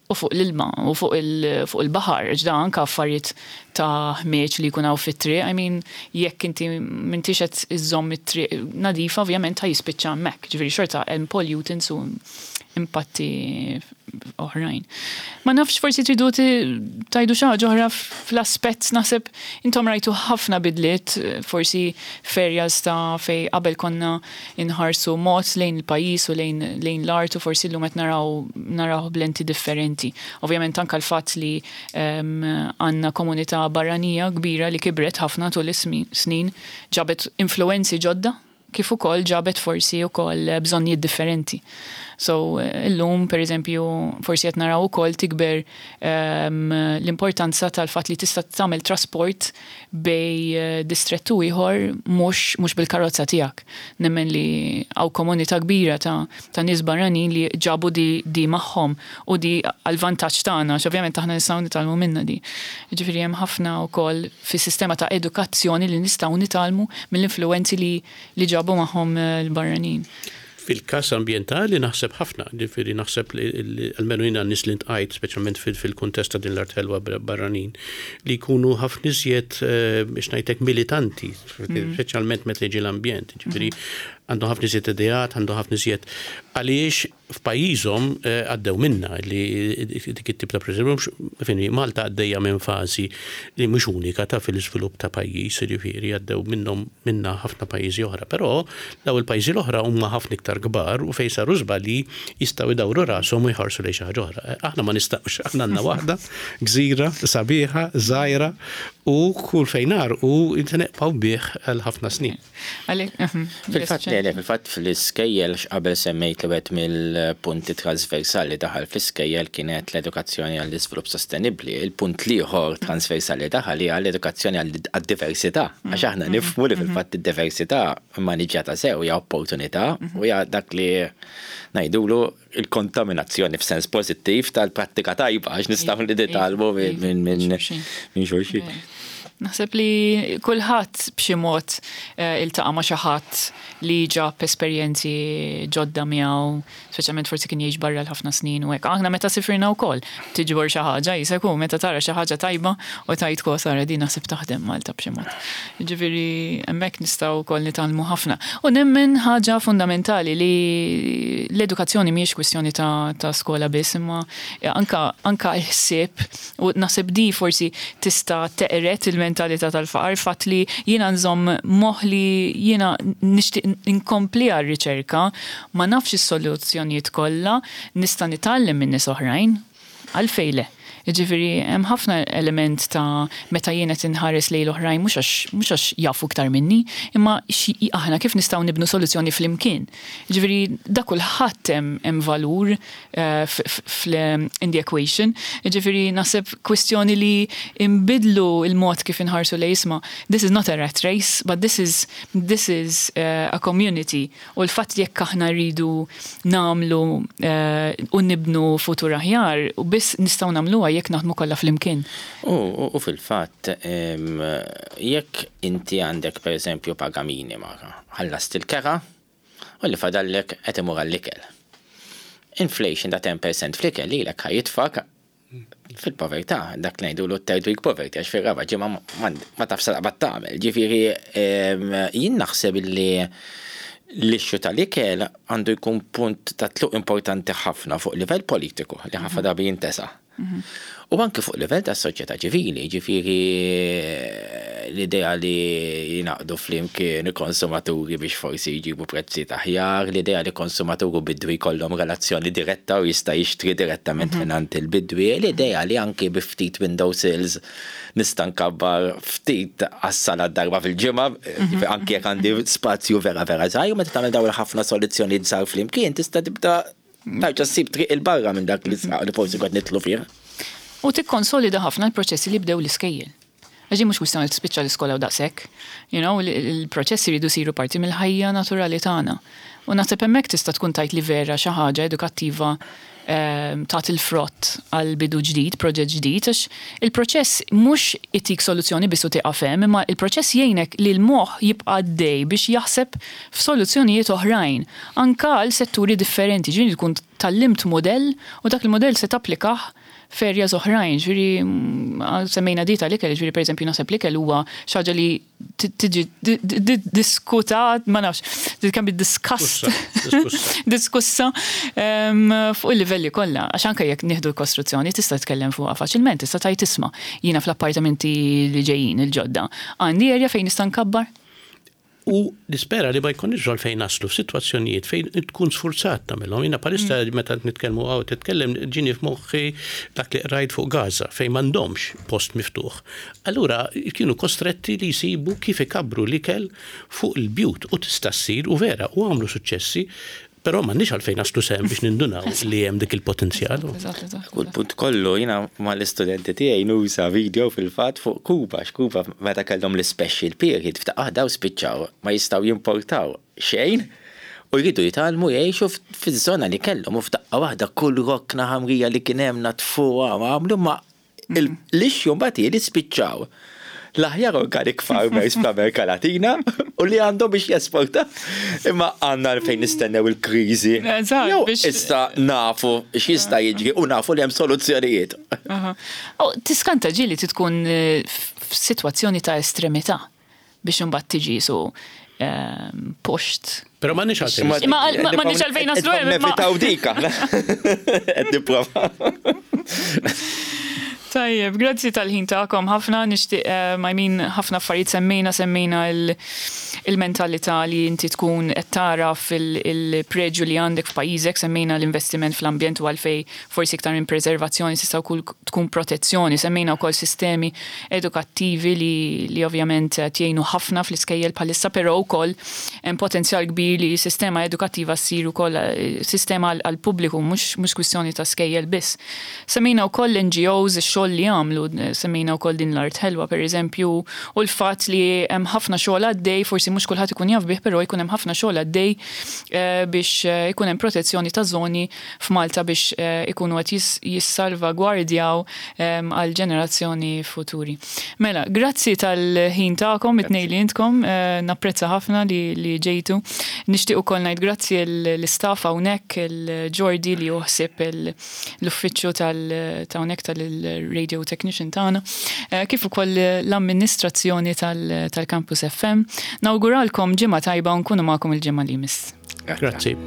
S1: u fuq l-ilma u fuq il-baħar, ġda anka affarijiet ta' ħmieġ li jkun hawn fit-triq. I mean, jekk inti m'intix qed iżżomm it-triq nadifa, ovvjament ħa jispiċċa hemmhekk. Ġifieri xorta hemm pollutants u impatti oħrajn. Ma nafx, forsi tridu tgħidu xi ħaġa oħra fl-aspett, naħseb intom rajtu ħafna bidliet, forsi f'areas ta' fej qabel konna inħarsu mod lejn il-pajjiż u lejn l-art u forsi llum qed naraw b'lenti differenti. Ovvjament anka l-fatt li għandna komunità barranija kbira li kibret ħafna tul is-snin ġabet influenzi ġodda kif ukoll ġabet forsi ukoll bżonnijiet differenti. So illum, per eżempju, forsi qed naraw ukoll tikber l-importanza tal-fatt li tista' tagħmel trasport bejn distrettu ieħor mhux bil-karozza tiegħek. Nemmen li hawn komunità kbira ta' nies barranin li ġabu di magħhom u di għal-vantaġġ tagħna, għax ovvjament aħna nistgħu nitgħallmu minnha di. Ġifieri hemm ħafna wkoll fis-sistema ta' edukazzjoni li nistgħu nitgħallmu mill-influenzi li ġabu magħhom l-barranin.
S2: Fil-kas ambientali naħseb ħafna, ġifieri naħseb li almenu jiena nies li ltqajt, speċjalment fil-kuntest ta' din l-art ħelwa barranin, li jkunu ħafna iżjed biex ngħidlek militanti, speċjalment meta jiġi l-ambjent, ġifieri għandu ħafna iżjed ideat, għandu ħafna iżjed għaliex f'pajjiżhom għaddew minna li dik it-tip ta' preżempju, Malta għaddejja minn fażi li mhux unika ta' fil-iżvilupp ta' pajjiż, ġifieri għaddew minnhom minna ħafna pajjiżi oħra, però daw il-pajjiżi l-oħra huma ħafna iktar kbar u fejn saru żbalji jistgħu jdawru rashom u jħarsu lejn xi ħaġa oħra. Aħna ma nistgħux, aħna għandna waħda, gżira, sabiħa, żgħira u kull fejn u nibqgħu bih għal ħafna snin.
S3: Fil-fatt le, fil-fatt fl-iskejjel, qabel semmejt li wieħed mill-punti trasversali daħal fl-iskejjel kienet l-edukazzjoni għall-iżvilupp sostenibbli. Il-punt l-ieħor trasversali daħal hija l-edukazzjoni għad-diversità. Għax aħna nifhmu li fil-fatt id-diversità maniġjata sew hija opportunità u hija dak li ngħidulu il-kontaminazzjoni f'sens pożittiv tal-prattika tajba, għax nistgħu li nitgħallmu minn xulxin.
S1: Naħseb li kulħadd b'xi mod iltaqa' ma' xi ħadd li ġab esperjenzi ġodda miegħu, speċjalment forsi kien jgħix barra l-ħafna snin u hekk. Aħna meta sifirna wkoll tiġbor xi ħaġa qisek hu meta tara xi ħaġa tajba u tgħid ko Sara din naħseb taħdem Malta b'xi mod. Jiġifieri hemmhekk nistgħu wkoll nitgħallmu ħafna. U nemmen ħaġa fundamentali li l-edukazzjoni mhijiex kwistjoni ta' ta' skola biss imma anka anka l-ħsieb U naħseb di forsi tista' teqred il-mentalità tal-faqar, fatt li jiena nżomm moħħ li jiena nixtieq inkompliha r-riċerka, ma nafx is-soluzzjonijiet kollha, nista' nitgħallem minn nies oħrajn. Għalfejn le? Jiġifieri hemm ħafna element ta' meta jien qed inħares lejn l-oħrajn mhux għax mhux għax jafu iktar minni, imma aħna kif nistgħu nibnu soluzzjoni flimkien. Jiġifieri da kulħadd hemm hemm valur in the equation. Ġifieri naħseb kwistjoni li nbiddlu l-mod kif inħarsu lejn isma' this is not a rat race, but this is this is a community. U l-fatt li jekk aħna rridu nagħmlu u nibnu futur aħjar, u biss nistgħu nagħmluha jekk naħdmu kollha flimkien.
S3: U fil-fatt jekk inti għandek pereżempju paga minima, ħallast il-kera, U li fadallek qed imur għall-ikel. Inflation ta' 10% fl-ikel lilek ħa jitfgħek fil-povertà, dak li ngħidulu third week poverty għax fir-raba' ġimgħa ma tafx se taqbad tagħmel. Ġifieri jien naħseb li l-issue tal-ikel għandu jkun punt ta' tluq importanti ħafna fuq livell politiku li ħafna drabi jintesa. U anki fuq livell ta' soċjetà ċivili, ġifieri l-idea li jingħaqdu flimkien il-konsumaturi biex forsi jġibu prezzijiet aħjar, l-idea li konsumatur u bidwi jkollhom relazzjoni diretta u jista' jixtri direttament mingħand il-bidwi, l-idea li anki bi ftit window sills nista' nkabbar ftit għas-salad darba fil-ġimgħa, anki jekk għandi spazju vera vera żgħir, meta tagħmel dawn il-ħafna soluzzjonijiet żgħar flimkien tista' tibda Tarġa' ssib triq 'il barra minn dak l-isqaq li forsi kont nidħlu fih.
S1: U tikkonsolida ħafna l-proċessi li bdew l-iskejjel. Għax din mhux kwistjoni li tispiċċa l-iskola u daqshekk. You know, il-proċessi jridu jsiru parti mill-ħajja naturali tagħna. U naħseb hemmhekk tista' tkun tgħid li vera xi ħaġa edukattiva tat il-frott għal bidu ġdid, proġett ġdid, għax il-proċess mhux itik soluzzjoni biss u tieqaf hemm, imma il-proċess jgħinek li l-moħħ jibqa' għaddej biex jaħseb f'soluzzjonijiet oħrajn. Anke għal setturi differenti, ġifieri tkun tgħallimt mudell u dak il-mudell se tapplikah f'areas oħrajn, ġifieri semmejna di tal-ikel, ġifieri pereżempju naħseb l-ikel huwa xi ħaġa li tiġi diskutat, ma nafx, it can be discussed, diskussa fuq il-livelli kollha, għax anke jekk nieħdu l-kostruzzjoni tista' titkellem fuqha faċilment, tista' tgħid isma' jiena fl-appartamenti li ġejjin il-ġodda għandi area fejn nista' nkabbar?
S2: U nispera li ma jkollniex għalfejn naslu f'sitwazzjonijiet fejn tkun sfurzat tagħmilhom. Jiena bħalissa meta qed nitkellmu hawn titkellem ġieni f'moħħi dak li qrajt fuq Gaza fejn m'għandhomx post miftuħ. Allura kienu kostretti li jsibu kif ikabbru l-ikel fuq il-bjut u tista' ssir u vera u għamlu suċċessi. Però m'għandniex għalfejn naslu s'hemm biex nindunaw li hemm dik il-potenzjal.
S3: U l-punt kollu jiena mal-istudenti tiegħi nuża video fil-fatt fuq Kuba, għax Kuba meta kellhom l-ispecial period f'daqqa waħda spiċċaw ma jistgħu jimportaw xejn u jridu jitgħallmu jgħixu fiż-żona li kellhom u f'daqqa waħda kull rokna ħamrija li kien hemm naddfuha u għamlu ma L-issue mbagħad hi li spiċċaw l-aħjar organic farmers fl-Amerika Latina u li għandhom biex jesporta. Imma għandna fejn nistennew il-kriżi. Jew issa nafu x'jista' jiġri u nafu li hemm soluzzjonijiet.
S1: Tiskanta ġieli tkun f'sitwazzjoni ta' estremità. Biex imbagħad tiġi su pushed.
S2: Però m'għandniex għalfejn.
S1: Ma m'għandniex għalfejn naslu hemm.
S3: Nevitaw dik aħna. Qed nipprova.
S1: Tajjeb, grazzi tal-ħin tagħkom ħafna, nixtieq I mean ħafna affarijiet semmejna, semmejna il-mentalità li inti tkun qed tara fil-preġju li għandek f'pajjiżek, semmejna l-investiment fl-ambjent u għalfejn forsi iktar minn preservazzjoni tista' wkoll tkun protezzjoni. Semmejna wkoll sistemi edukattivi li li ovvjament qed jgħinu ħafna fl-iskejjel bħalissa però wkoll hemm potenzjal kbir li sistema edukattiva ssir ukoll sistema għall-pubbliku mhux mhux kwistjoni ta' skejjel biss. Semmejna wkoll l-NGOs, ix-xogħol li jagħmlu, semmejna wkoll din l-Art Ħelwa pereżempju u l-fatt li hemm ħafna xogħol għaddej forsi mhux mhux kulħadd ikun jaf bih però jkun hemm ħafna xogħol għaddej biex ikun hemm protezzjoni ta' żoni f'Malta biex ikunu qed jissalvagwardjaw għal ġenerazzjoni futuri. Mela, grazzi tal-ħin tagħkom it-tnejn li intkom, napprezza ħafna li ġejtu. Nixtieq ukoll ngħid grazzi l-istaff hawnhekk, il-Jordi li ħsieb l-uffiċċju ta' hawnhekk tal-radio technician tagħna, kif ukoll l-amministrazzjoni tal-Campus FM. Nawguralkom ġimgħa tajba u nkunu magħkom il-ġimgħa li jmiss.
S2: Grazzi.